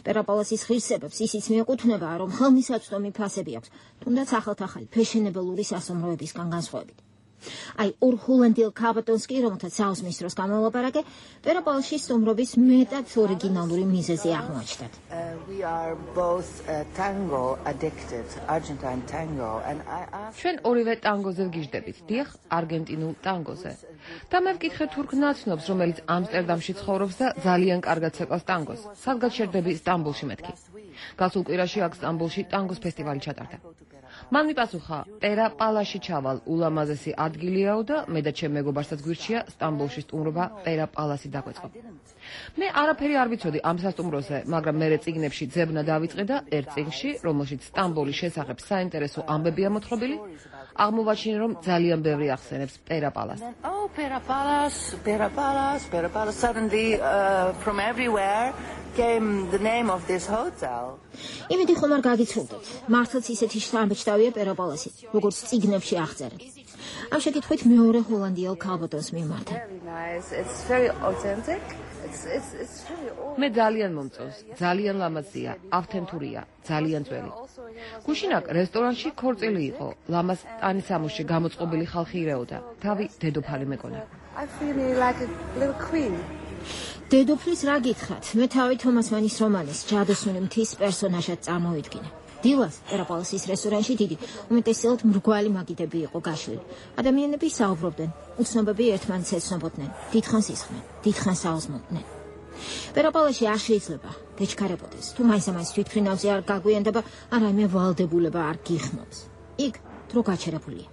პერაპალასის ღირსებებს ისიც მიეკუთვნება, რომ ხელმისაწვდომი ფასები აქვს, თუნდაც ახალ-ახალი ფეშენებელური სასომროებისგან განსხვავებით. აი, ორ ჰოლანდიელ ქალბატონს კი, რომელთაც საუზმის დროს გამოლაპარაკე, პერაპალში სტუმრობის მეტად ორიგინალური მიზეზი აღმოაჩნდათ. ჩვენ ორივე ტანგოზე ვგიჟდებით, დიახ, არგენტინულ ტანგოზე. და მე ვკითხე თურქ ნაცნობს, რომელიც ამსტერდამში ცხოვრობს და ძალიან კარგად ცეკავს ტანგოს. სადღაც შევდები სტამბოლში მეთქი. გასულ კვირაში აქ სტამბოლში ტანგოს ფესტივალი ჩატარდა. მან მიპასუხა, პერაპალაში ჩავალ ულამაზესი ადგილიაო და მე და ჩემ მეგობარსაც გვირჩია სტამბოლში სტუმრობა პერაპალასი დაგვეწყო. მე არაფერი არ ვიცოდი ამ სასტუმროზე, მაგრამ მერე წიგნებში ძებნა დავიწყე და ერთ წიგნში, რომელშიც სტამბოლის შესახებ საინტერესო ამბებია მოთხრობილი, აღმოვაჩინე, რომ ძალიან ბევრი ახსენებს პერაპალას. Oh, Perapalas, Perapalas, Perapalas. Suddenly, uh, from everywhere came the name of this hotel. იმედი ხომ არ გაგიცნობთ. მართლაც ისეთი შთამბეჭდავია პერაპალასი, როგორც წიგნებში აღწერენ. ამ შეკითხვით მეორე ჰოლანდიელ ქალბატონს მიმართა. Very nice. It's very authentic. It's it's it's really old. მე ძალიან მომწონს, ძალიან ლამაზია, ავთენტურია, ძალიან ძველი. გუშინაკ რესტორანში ქორწილი იყო, ლამაზ ტანისამოსში გამოწყობილი ხალხი ირეოდა, თავი დედოფალი მეკონა. I feel like a little queen. დედოფლის რა გითხრათ? მე თავი თომას მანის რომანის ჯადოსნური მთის პერსონაჟად წარმოვიდგინე. დილას პერაპალასის რესტორანში დიდი, უმეტესად მრგვალი მაგიდები იყო გაშვილი. ადამიანები საუბრობდნენ, უცნობები ერთმანეთს ეცნობოდნენ, დიდხანს ისხდნენ, დიდხანს აუზმოდნენ. პერაპალაში არ შეიძლება გეჩქარებოდეს, თუ მაინც-მაინც თვითფრინავზე არ გაგვიანდება, არამე ვალდებულება არ გიხმობს. იქ დრო გაჩერებულია.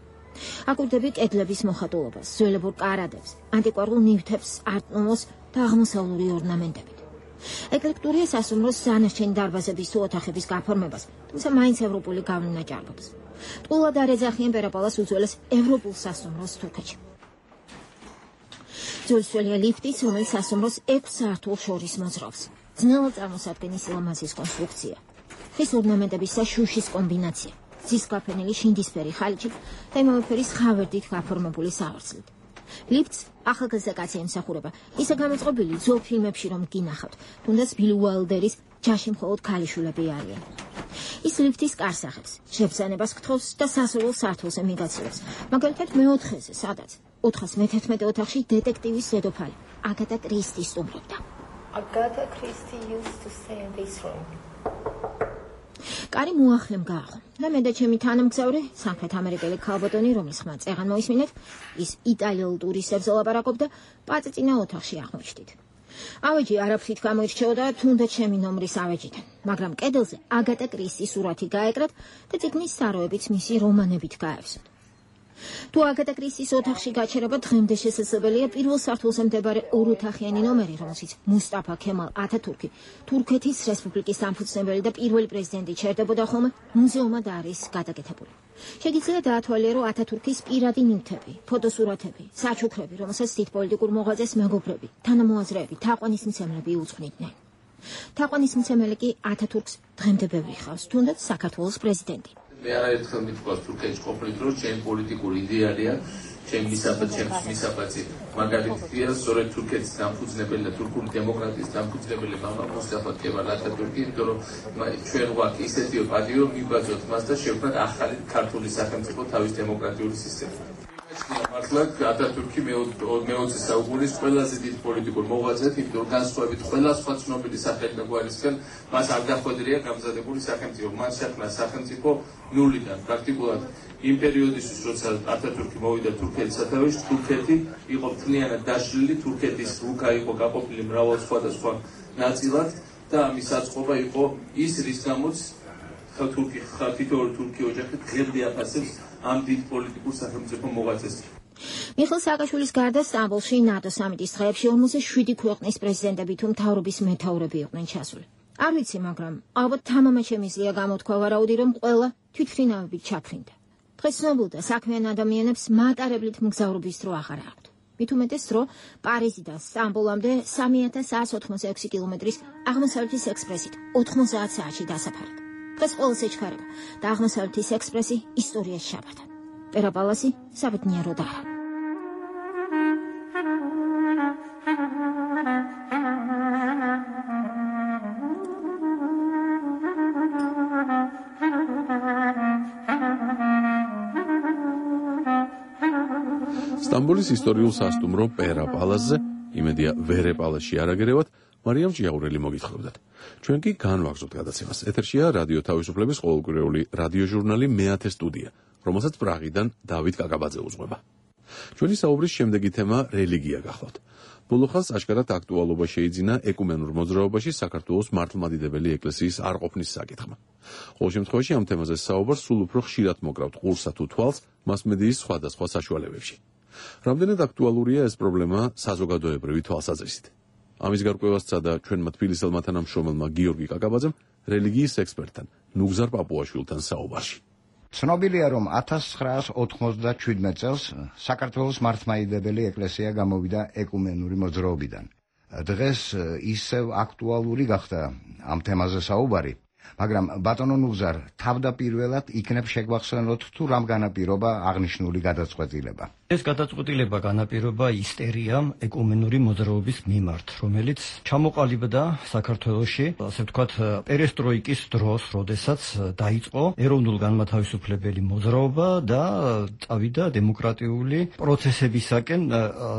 აკვირდები კედლების მოხატულობას, ძველებურ კარადებს, ანტიკვარულ ნივთებს, არტ-ნომოს და აღმოსავლური ორნამენტებით. ეკლექტურია სასუმროს დანარჩენი დარბაზების თუ ოთახების გაფორმებას, თუმცა მაინც ევროპული გავლენა ჭარბობს. ტყუილად არ ეძახიან პერაპალას უძველეს ევროპულ სასუმროს თურქეთში. ძველსველია ლიფტიც, რომელიც სასუმროს ექვს სართულს შორის მოძრაობს. ძნელად წარმოსადგენის ლამაზის კონსტრუქცია. ხის ორნამენტების და შუშის კომბინაცია. ძისკაფენილი შინდისფერი ხალიჩით და იმავე ფერის ხავერდით გაფორმებული სავარძლით. ლიფტს ახალგაზრდა კაცი ემსახურება. ისე გამოწყობილი ძველ ფილმებში რომ გინახავთ, თუნდაც ბილ უაილდერის ჯაში მხოლოდ ქალიშვილები არიან. ის ლიფტის კარს ახებს, შებრძანებას გთხოვს და სასურველ სართულზე მიგაცილებს. მაგალითად მეოთხეზე, სადაც ოთხას მეთერთმეტე ოთახში დეტექტივის დედოფალი აგატა კრისტი სტუმრობდა. Agatha Christie used to stay in this room. კარი მოახლემ გააღო და მე და ჩემი თანამგზავრი, სამხრეთ ამერიკელი ქალბატონი, რომლის ხმა წეღან მოისმინეთ, ის იტალიელ ტურისტებს ელაპარაკობდა, პაწიწინა ოთახში აღმოჩნდით. ავეჯი არაფრით გამოირჩეოდა, თუნდაც ჩემი ნომრის ავეჯიდან, მაგრამ კედელზე აგატა კრისტის სურათი გაეკრათ და წიგნის საროებიც მისი რომანებით გაევსოთ. თუ აგატა კრისტის ოთახში გაჩერება დღემდე შესაძლებელია პირველ სართულზე მდებარე ოროთახიანი ნომერი, რომელშიც მუსტაფა ქემალ ათათურქი, თურქეთის რესპუბლიკის დამფუძნებელი და პირველი პრეზიდენტი ჩერდებოდა ხოლმე, მუზეუმად არის გადაკეთებული. შეგიძლია დაათვალიერო ათათურქის პირადი ნივთები, ფოტოსურათები, საჩუქრები, რომელსაც დიდ პოლიტიკურ მოღვაწეს მეგობრები, თანამოაზრეები, თაყვანისმცემლები უძღვნიდნენ. თაყვანისმცემელი კი ათათურქს დღემდე ბევრი ხავს, თუნდაც საქართველოს პრეზიდენტი. მე არაერთხელ მithქვას თურქეთში ყოფნით, რომ ჩემი პოლიტიკური იდეალია, ჩემი მისაბაძი, ჩემს მისაბაძი მაგალითია, სწორედ თურქეთის დამფუძნებელი და თურქული დემოკრატიის დამფუძნებელი მამა მუსტაფა ქემალ ათათურქი, იმიტომ რომ ჩვენ გვაქვს ისეთი პატიო, მიბაძოთ მას და შევქმნათ ახალი ქართული სახელმწიფო თავის დემოკრატიული სისტემა. მართლა ატათურქი მეოცე საუკუნის ყველაზე დიდ პოლიტიკურ მოღვაწედ, იმიტომ რომ განსხვავებით ყველა სხვა ცნობილი სახელმწიფოებისგან მას არ დახვედრია გამზადებული სახელმწიფო. მან შექმნა სახელმწიფო ნულიდან. პრაქტიკულად იმ პერიოდისთვის, როცა ატათურქი მოვიდა თურქეთის სათავეში, თურქეთი იყო მთლიანად დაშლილი, თურქეთის რუკა იყო გაყოფილი მრავალ სხვადასხვა ნაწილად და ამის საწყობა იყო ის, რის გამოც თურქი თითოეული თურქი ოჯახი დღემდე აფასებს ამ დიდ პოლიტიკურ სახელმწიფო მოღვაწეს. მიხეილ სააკაშვილის გარდა სტამბოლში ნატო სამიტის დღეებში ორმოცდაშვიდი ქვეყნის პრეზიდენტები თუ მთავრობის მეთაურები იყვნენ ჩასული. არ ვიცი, მაგრამ ალბათ თამამად შემიძლია გამოთქვა ვარაუდი, რომ ყველა თვითმფრინავებით ჩაფრინდა. დღეს ცნობილ და საქმიან ადამიანებს მატარებლით მგზავრობის დრო აღარ აქვთ. მით უმეტეს დრო პარიზიდან სტამბოლამდე სამი ათას სამას ოცდაექვსი კილომეტრის აღმოსავლეთის ექსპრესით ოთხმოცდაათ საათში დასაფარად. დღეს ყოველს ეჩქარება და აღმოსავლეთის ექსპრესი ისტორიაში ჩაბარდა. პერაპალასი საბედნიეროდ არა. სტამბოლის ისტორიულ სასტუმრო პერაპალასზე, იმედია ვერეპალასში არაგერევათ, მარიამ ჭიაურელი მოგითხრობდათ. ჩვენ კი განვაგრძობთ გადაცემას. ეთერშია რადიო თავისუფლების ყოველკვირეული რადიოჟურნალი მეათე სტუდია, რომელსაც პრაღიდან დავით კაკაბაძე უძღვება. ჩვენი საუბრის შემდეგი თემა რელიგია გახლავთ. ბოლო ხანს აშკარად აქტუალობა შეიძინა ეკუმენურ მოძრაობაში საქართველოს მართლმადიდებელი ეკლესიის არყოფნის საკითხმა. ყოველ შემთხვევაში ამ თემაზე საუბარს სულ უფრო ხშირად მოკრავთ ყურსა თუ თვალს მასმედიის სხვადასხვა საშუალებებში. რამდენად აქტუალურია ეს პრობლემა საზოგადოებრივი თვალსაზრისით. ამის გარკვევას სცადა ჩვენმა თბილისელმა თანამშრომელმა გიორგი კაკაბაძემ რელიგიის ექსპერტთან ნუგზარ პაპუაშვილთან საუბარში. ცნობილია, რომ ათას ცხრაას ოთხმოცდაჩვიდმეტ წელს საქართველოს მართლმადიდებელი ეკლესია გამოვიდა ეკუმენური მოძრაობიდან. დღეს ისევ აქტუალური გახდა ამ თემაზე საუბარი, მაგრამ ბატონო ნუგზარ, თავდაპირველად იქნებ შეგვახსენოთ თუ რამ განაპირობა აღნიშნული გადაწყვეტილება. ეს გადაწყვეტილება განაპირობა ისტერიამ ეკუმენური მოძრაობის მიმართ, რომელიც ჩამოყალიბდა საქართველოში, ასე ვთქვათ, პერესტროიკის დროს, როდესაც დაიწყო ეროვნულ-განმათავისუფლებელი მოძრაობა და წავიდა დემოკრატიული პროცესებისაკენ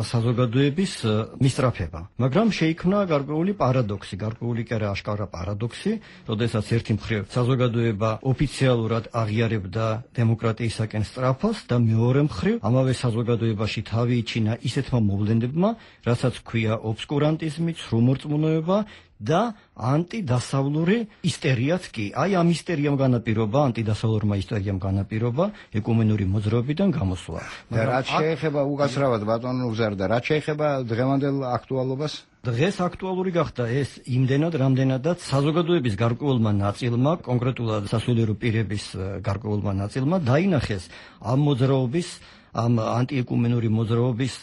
საზოგადოების მისწრაფება. მაგრამ შეიქმნა გარკვეული პარადოქსი, გარკვეული კი არა აშკარა პარადოქსი, როდესაც ერთი მხრივ საზოგადოება ოფიციალურად აღიარებდა დემოკრატიისაკენ სწრაფას და მეორე მხრივ ამავე საზოგადოებაში თავი იჩინა ისეთმა მოვლენებმა, რასაც ჰქვია ობსკურანტიზმი, ცრუმორწმუნოება და ანტიდასავლური ისტერიაც კი. აი ამ ისტერიამ განაპირობა, ანტიდასავლურმა ისტერიამ განაპირობა ეკუმენური მოძრაობიდან გამოსვლა. და რაც შეეხება უკაცრავად ბატონო ნუგზარ და რაც შეეხება დღევანდელ აქტუალობას? დღეს აქტუალური გახდა ეს იმდენად, რამდენადაც საზოგადოების გარკვეულმა ნაწილმა, კონკრეტულად სასულიერო პირების გარკვეულმა ნაწილმა დაინახეს ამ მოძრაობის, ამ ანტიეკუმენური მოძრაობის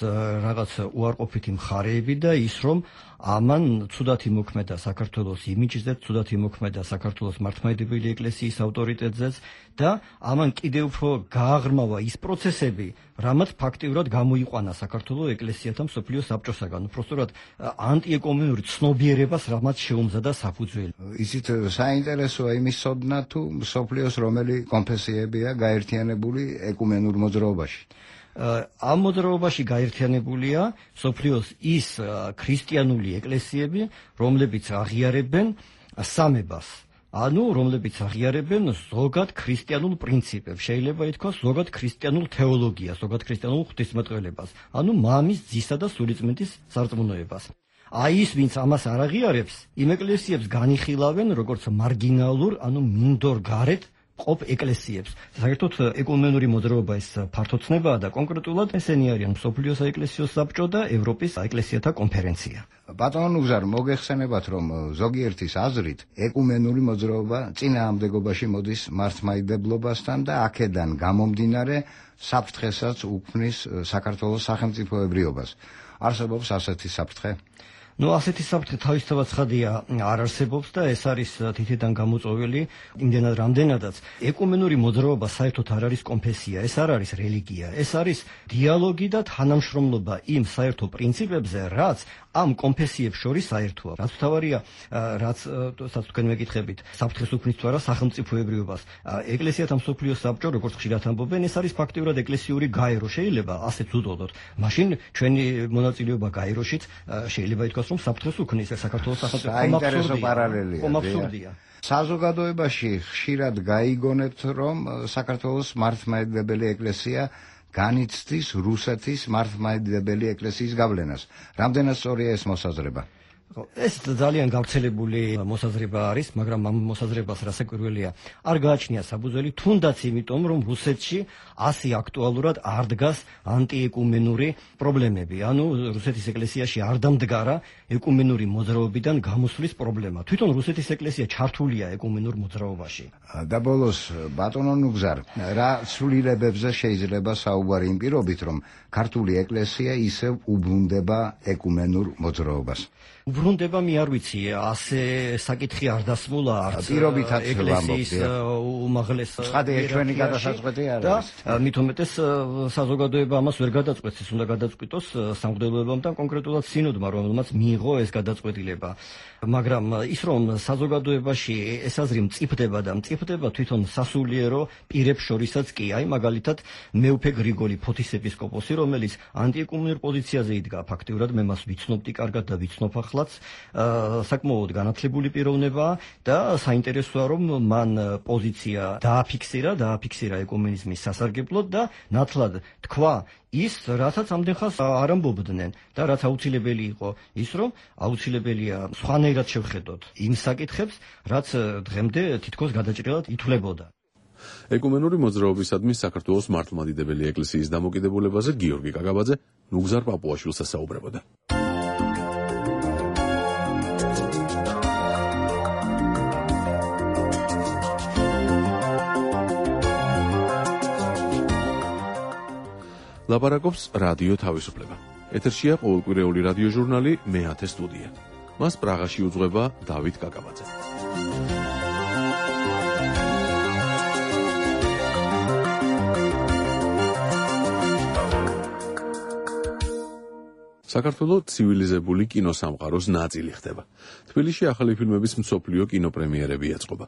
რაღაც უარყოფითი მხარეები და ის, რომ ამან ცუდად იმოქმედა საქართველოს იმიჯზე, ცუდად იმოქმედა საქართველოს მართლმადიდებელი ეკლესიის ავტორიტეტზეც და ამან კიდევ უფრო გააღრმავა ის პროცესები, რამაც ფაქტიურად გამოიყვანა საქართველოს ეკლესიათა მსოფლიო საბჭოსაგან, უბრალოდ ანტიეკუმენური ცნობიერებას რამაც შეუმზადა საფუძველი. იცით, საინტერესოა იმის ცოდნა თუ მსოფლიოს რომელი კონფესიებია გაერთიანებული ეკუმენურ მოძრაობაში. ამ მოძრაობაში გაერთიანებულია მსოფლიოს ის ქრისტიანული ეკლესიები, რომლებიც აღიარებენ სამებას. ანუ რომლებიც აღიარებენ ზოგად ქრისტიანულ პრინციპებს, შეიძლება ითქვას ზოგად ქრისტიანულ თეოლოგიას, ზოგად ქრისტიანულ ღვთისმეტყველებას, ანუ მამის, ძისა და სულიწმიდის სარწმუნოებას. აი ის, ვინც ამას არ აღიარებს, იმ ეკლესიებს განიხილავენ როგორც მარგინალურ, ანუ მინდორ გარეთ ყოფ ეკლესიებს. საერთოდ ეკუმენური მოძრაობა ეს ფართოცნებაა და კონკრეტულად ესენი არიან მსოფლიო საეკლესიო საბჭო და ევროპის ეკლესიათა კონფერენცია. ბატონო ნუგზარ, მოგეხსენებათ, რომ ზოგიერთის აზრით ეკუმენური მოძრაობა წინააღმდეგობაში მოდის მართლმადიდებლობასთან და აქედან გამომდინარე საფრთხესაც უქმნის საქართველოს სახელმწიფოებრიობას. არსებობს ასეთი საფრთხე? ნუ ასეთი საფრთხე თავისთავად ცხადია არ არსებობს და ეს არის თითიდან გამოწვეული იმდენად რამდენადაც ეკუმენური მოძრაობა საერთოდ არ არის კონფესია, ეს არ არის რელიგია, ეს არის დიალოგი და თანამშრომლობა იმ საერთო პრინციპებზე, რაც ამ კონფესიებს შორის საერთოა. რაც თავარია, რაც სადაც თქვენ მეკითხებით, საფრთხეს უქმნის თუ არა სახელმწიფოებრიობას. ეკლესიათ ამ მსოფლიოს საბჭო, როგორც ხშირად ამბობენ, ეს არის ფაქტიურად ეკლესიური გაერო. შეიძლება ასეც ვუწოდოთ. მაშინ ჩვენი მონაწილეობა გაეროშიც შეიძლება ითქვას, რომ საფრთხეს უქმნის საქართველოს სახელმწიფო. საინტერესო პარალელია. საზოგადოებაში ხშირად გაიგონებთ, რომ საქართველოს მართლმადიდებელი ეკლესია განიცდის რუსეთის მართლმადიდებელი ეკლესიის გავლენას. რამდენად სწორია ეს მოსაზრება? ეს ძალიან გავრცელებული მოსაზრება არის, მაგრამ ამ მოსაზრებას რასაკვირველია, არ გააჩნია საფუძველი, თუნდაც იმიტომ, რომ რუსეთში ასე აქტუალურად არ დგას ანტიეკუმენური პრობლემები. ანუ რუსეთის ეკლესიაში არ დამდგარა ეკუმენური მოძრაობიდან გამოსვლის პრობლემა. თვითონ რუსეთის ეკლესია ჩართულია ეკუმენურ მოძრაობაში. და ბოლოს, ბატონო ნუგზარ, რა ცვლილებებზე შეიძლება საუბარი იმ პირობით, რომ ქართული ეკლესია ისევ უბრუნდება ეკუმენურ მოძრაობას? უბრუნდება მე არ ვიცი, ასე საკითხი არ დასმულა არც ეკლესიის უმაღლეს ცხადია ჩვენი გადასაწყვეტი არ არის. და მით უმეტეს საზოგადოება ამას ვერ გადაწყვეტს, ის უნდა გადაწყვიტოს სამღვდელოებამ და კონკრეტულად სინოდმა, რომელმაც მიიღო ეს გადაწყვეტილება. მაგრამ ის რომ საზოგადოებაში ეს აზრი მწიფდება და მწიფდება თვითონ სასულიერო პირებს შორისაც კი, აი მაგალითად მეუფე გრიგოლი ფოთისეპისკოპოსი, რომელიც ანტიეკუმენურ პოზიციაზე იდგა, ფაქტიურად მე მას ვიცნობდი კარგად და ვიცნობ ახლაც, საკმაოდ განათლებული პიროვნებაა და საინტერესოა რომ მან პოზიცია დააფიქსირა, დააფიქსირა ეკუმენიზმის სასარგებლოდ და ნათლად თქვა ის, რასაც ამდენ ხანს არ ამბობდნენ და რაც აუცილებელი იყო, ის რომ აუცილებელია სხვანაირად შევხედოთ იმ საკითხებს, რაც დღემდე თითქოს გადაჭრილად ითვლებოდა. ეკუმენური მოძრაობისადმი საქართველოს მართლმადიდებელი ეკლესიის დამოკიდებულებაზე გიორგი კაკაბაძე ნუგზარ პაპუაშვილს ასაუბრებოდა. ლაპარაკობს რადიო თავისუფლება. ეთერშია ყოველკვირეული რადიო ჟურნალი მეათე სტუდია. მას პრაღაში უძღვება დავით კაკაბაძე. საქართველო ცივილიზებული კინოსამყაროს ნაწილი ხდება. თბილისში ახალი ფილმების მსოფლიო კინოპრემიერები ეწყობა.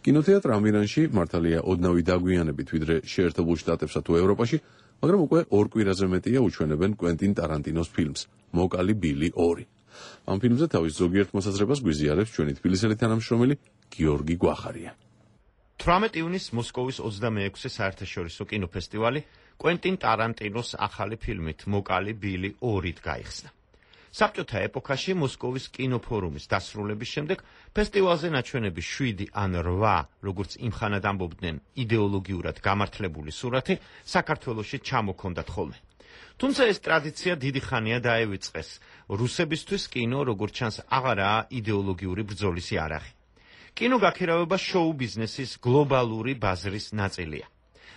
კინოთეატრ ამირანში მართალია ოდნავი დაგვიანებით ვიდრე შეერთებულ შტატებსა თუ ევროპაში, მაგრამ უკვე ორ კვირაზე მეტია უჩვენებენ კვენტინ ტარანტინოს ფილმს მოკალი ბილი ორი. ამ ფილმზე თავის ზოგიერთ მოსაზრებას გვიზიარებს ჩვენი თბილისელი თანამშრომელი გიორგი გვახარია. თვრამეტი ივნისს მოსკოვის ოცდამეექვსე საერთაშორისო კინოფესტივალი კვენტინ ტარანტინოს ახალი ფილმით მოკალი ბილი ორით გაიხსნა. საბჭოთა ეპოქაში მოსკოვის კინოფორუმის დასრულების შემდეგ ფესტივალზე ნაჩვენები შვიდი ან რვა, როგორც იმხანად ამბობდნენ, იდეოლოგიურად გამართლებული სურათი საქართველოში ჩამოქონდათ ხოლმე. თუმცა ეს ტრადიცია დიდი ხანია დაევიწყეს. რუსებისთვის კინო, როგორც ჩანს, აღარაა იდეოლოგიური ბრძოლის იარაღი. კინო გაქირავება შოუ ბიზნესის გლობალური ბაზრის ნაწილია.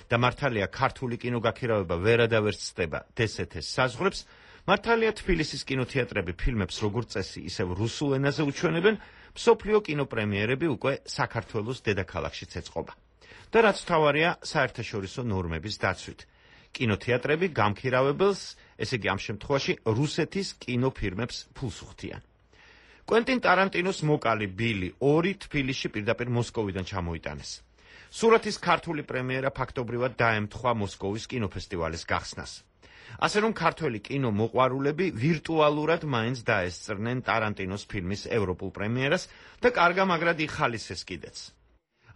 და მართალია ქართული კინო გაქირავება ვერადავერც ცდება დსთ-ს საზღვრებს, მართალია თბილისის კინოთეატრები ფილმებს როგორც წესი ისევ რუსულ ენაზე უჩვენებენ, მსოფლიო კინოპრემიერები უკვე საქართველოს დედაქალაქშიც ეწყობა. და რაც მთავარია, საერთაშორისო ნორმების დაცვით. კინოთეატრები გამქირავებელს, ესე იგი ამ შემთხვევაში რუსეთის კინოფირმებს ფულს უხდიან. კვენტინ ტარანტინოს მოკალი ბილი ორი თბილისში პირდაპირ მოსკოვიდან ჩამოიტანეს. სურათის ქართული პრემიერა ფაქტობრივად დაემთხვა მოსკოვის კინოფესტივალის გახსნას. ასე რომ ქართველი კინო მოყვარულები ვირტუალურად მაინც დაესწრნენ ტარანტინოს ფილმის ევროპულ პრემიერას და კარგა მაგრად იხალისეს კიდეც.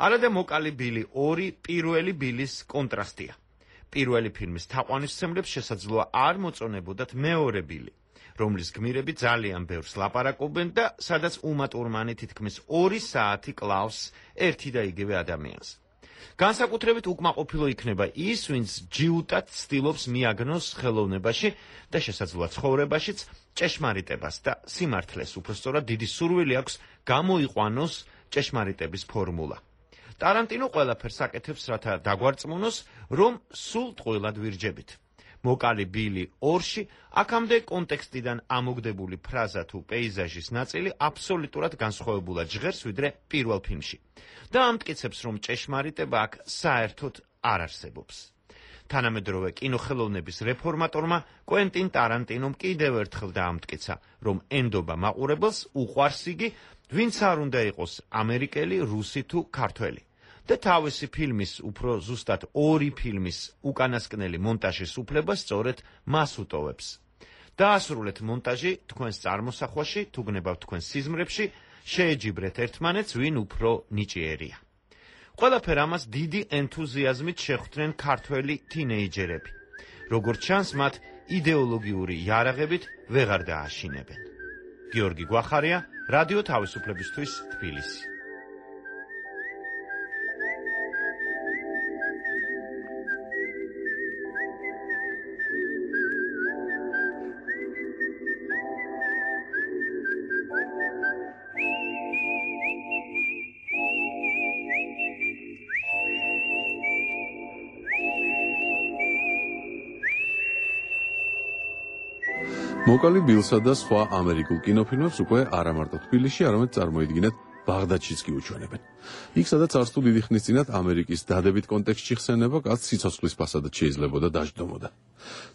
არადა მოკალი ბილი ორი პირველი ბილის კონტრასტია. პირველი ფილმის თაყვანისმცემლებს შესაძლოა არ მოწონებოდათ მეორე ბილი, რომლის გმირები ძალიან ბევრს ლაპარაკობენ და სადაც უმა ტურმანი თითქმის ორი საათი კლავს ერთი და იგივე ადამიანს. განსაკუთრებით უკმაყოფილო იქნება ის, ვინც ჯიუტად ცდილობს მიაგნოს ხელოვნებაში და შესაძლოა ცხოვრებაშიც ჭეშმარიტებას და სიმართლეს, უბრალოდ დიდი სურვილი აქვს გამოიყვანოს ჭეშმარიტების ფორმულა. ტარანტინო ყველაფერს აკეთებს, რათა დაგვარწმუნოს, რომ სულ ტყუილად ვირჯებით. მოკალი ბილი ორში აქამდე კონტექსტიდან ამოგდებული ფრაზა თუ პეიზაჟის ნაწილი აბსოლუტურად განსხვავებულად ჟღერს ვიდრე პირველ ფილმში და ამტკიცებს, რომ ჭეშმარიტება აქ საერთოდ არ არსებობს. თანამედროვე კინოხელოვნების რეფორმატორმა კვენტინ ტარანტინომ კიდევ ერთხელ დაამტკიცა, რომ ენდობა მაყურებელს უყვარს იგი, ვინც არ უნდა იყოს ამერიკელი, რუსი თუ ქართველი. და თავისი ფილმის უფრო ზუსტად ორი ფილმის უკანასკნელი მონტაჟის უფლება სწორედ მას უტოვებს. დაასრულეთ მონტაჟი თქვენს წარმოსახვაში, თუ გნებავთ თქვენს სიზმრებში, შეეჯიბრეთ ერთმანეთს, ვინ უფრო ნიჭიერია. ყველაფერ ამას დიდი ენთუზიაზმით შეხვდნენ ქართველი თინეიჯერები. როგორც ჩანს, მათ იდეოლოგიური იარაღებით ვეღარ დააშინებენ. გიორგი გვახარია, რადიო თავისუფლებისთვის, თბილისი. მოკალი ბილსა და სხვა ამერიკულ კინოფილმებს უკვე არა მარტო თბილისში, არამედ წარმოიდგინეთ ბაღდადშიც კი უჩვენებენ. იქ სადაც არც თუ დიდი ხნის წინათ ამერიკის დადებით კონტექსტში ხსენება კაცს სიცოცხლის ფასადაც შეიძლებოდა დაждდომოდა.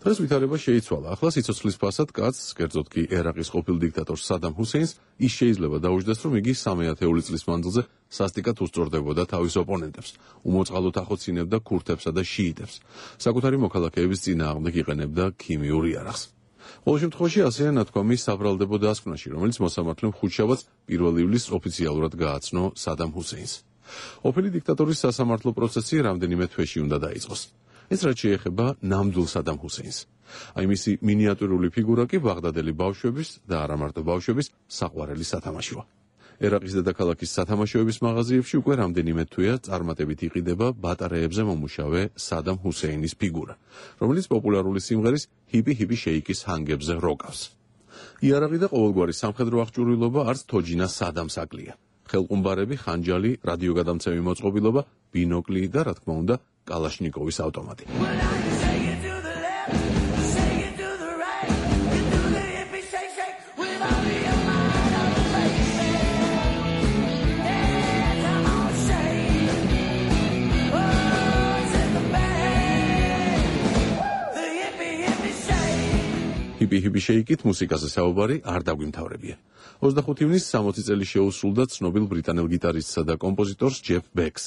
დღეს ვითარება შეიცვალა. ახლა სიცოცხლის ფასად კაცს, კერძოდ კი ერაყის ყოფილ დიქტატორს სადამ ჰუსეინს, ის შეიძლება დაუჯდეს, რომ იგი სამი ათეული წლის მანძილზე სასტიკად უსწორდებოდა თავის ოპონენტებს, უმოწყალოდ ახოცინებდა ქურთებსა და შიიტებს, საკუთარი მოქალაქეების წინააღმდეგ იყენებდა ქიმიურ იარაღს. ყოველ შემთხვევაში ასეა ნათქვამი საბრალდებო დასკვნაში, რომელიც მოსამართლემ ხუთშაბათს პირველ ივლისს ოფიციალურად გააცნო სადამ ჰუსეინს. ყოფილი დიქტატორის სასამართლო პროცესი რამდენიმე თვეში უნდა დაიწყოს. ეს რაც შეეხება ნამდვილ სადამ ჰუსეინს. აი მისი მინიატურული ფიგურა კი ბაღდადელი ბავშვების და არა მარტო ბავშვების საყვარელი სათამაშოა. ერაყის დედაქალაქის სათამაშოების მაღაზიებში უკვე რამდენიმე თვეა წარმატებით იყიდება ბატარეებზე მომუშავე სადამ ჰუსეინის ფიგურა, რომელიც პოპულარული სიმღერის ჰიპი ჰიპი შეიკის ჰანგებზე როკავს. იარაღი და ყოველგვარი სამხედრო აღჭურვილობა არც თოჯინა სადამს აკლია. ხელყუმბარები, ხანჯალი, რადიოგადამცემი მოწყობილობა, ბინოკლი და რა თქმა უნდა, კალაშნიკოვის ავტომატი. ჰიპი ჰიპი შეიკით მუსიკაზე საუბარი არ დაგვიმთავრებია. ოცდახუთი ივნისს სამოცი წელი შეუსრულდა ცნობილ ბრიტანელ გიტარისტსა და კომპოზიტორს ჯეფ ბეკს.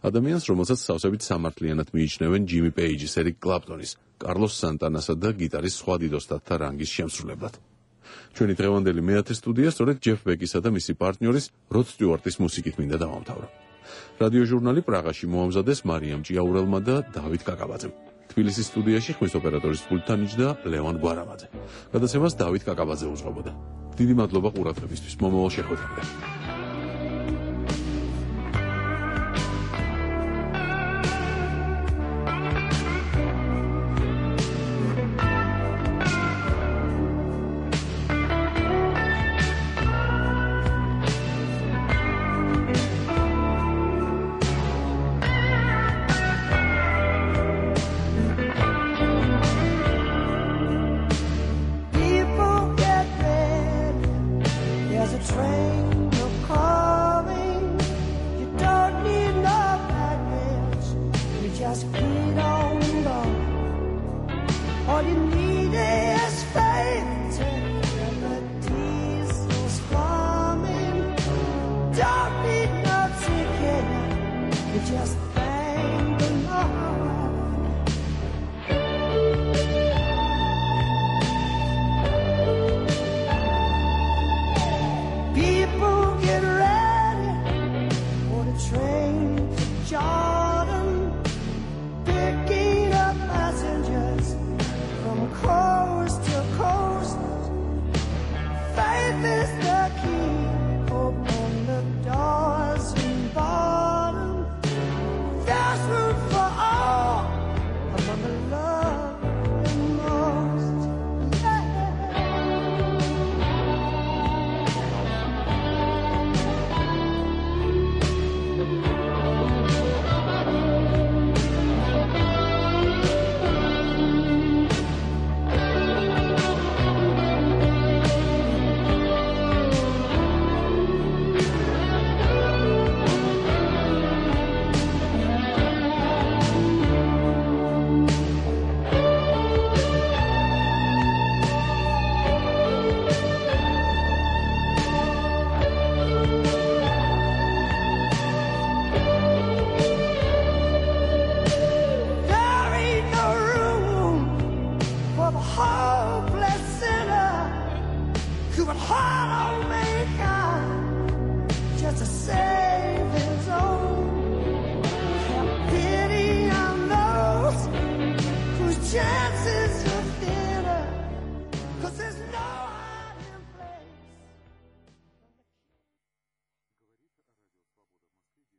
ადამიანს, რომელსაც სავსებით სამართლიანად მიიჩნევენ ჯიმი პეიჯის, ერიკ კლაპტონის, კარლოს სანტანასა და გიტარის სხვა დიდ ოსტატთა რანგის შემსრულებლად. ჩვენი დღევანდელი მეათე სტუდია სწორედ ჯეფ ბეკისა და მისი პარტნიორის როდ სტიუარტის მუსიკით მინდა დავამთავრო. რადიო ჟურნალი პრაღაში მოამზადეს მარიამ ჭიაურელმა და დავით კაკაბაძემ. თბილისის სტუდიაში ხმის ოპერატორის პულტთან იჯდა ლევან გვარამაძე. გადაცემას დავით კაკაბაძე უძღვებოდა. დიდი მადლობა ყურადღებისთვის. მომავალ შეხვედრამდე.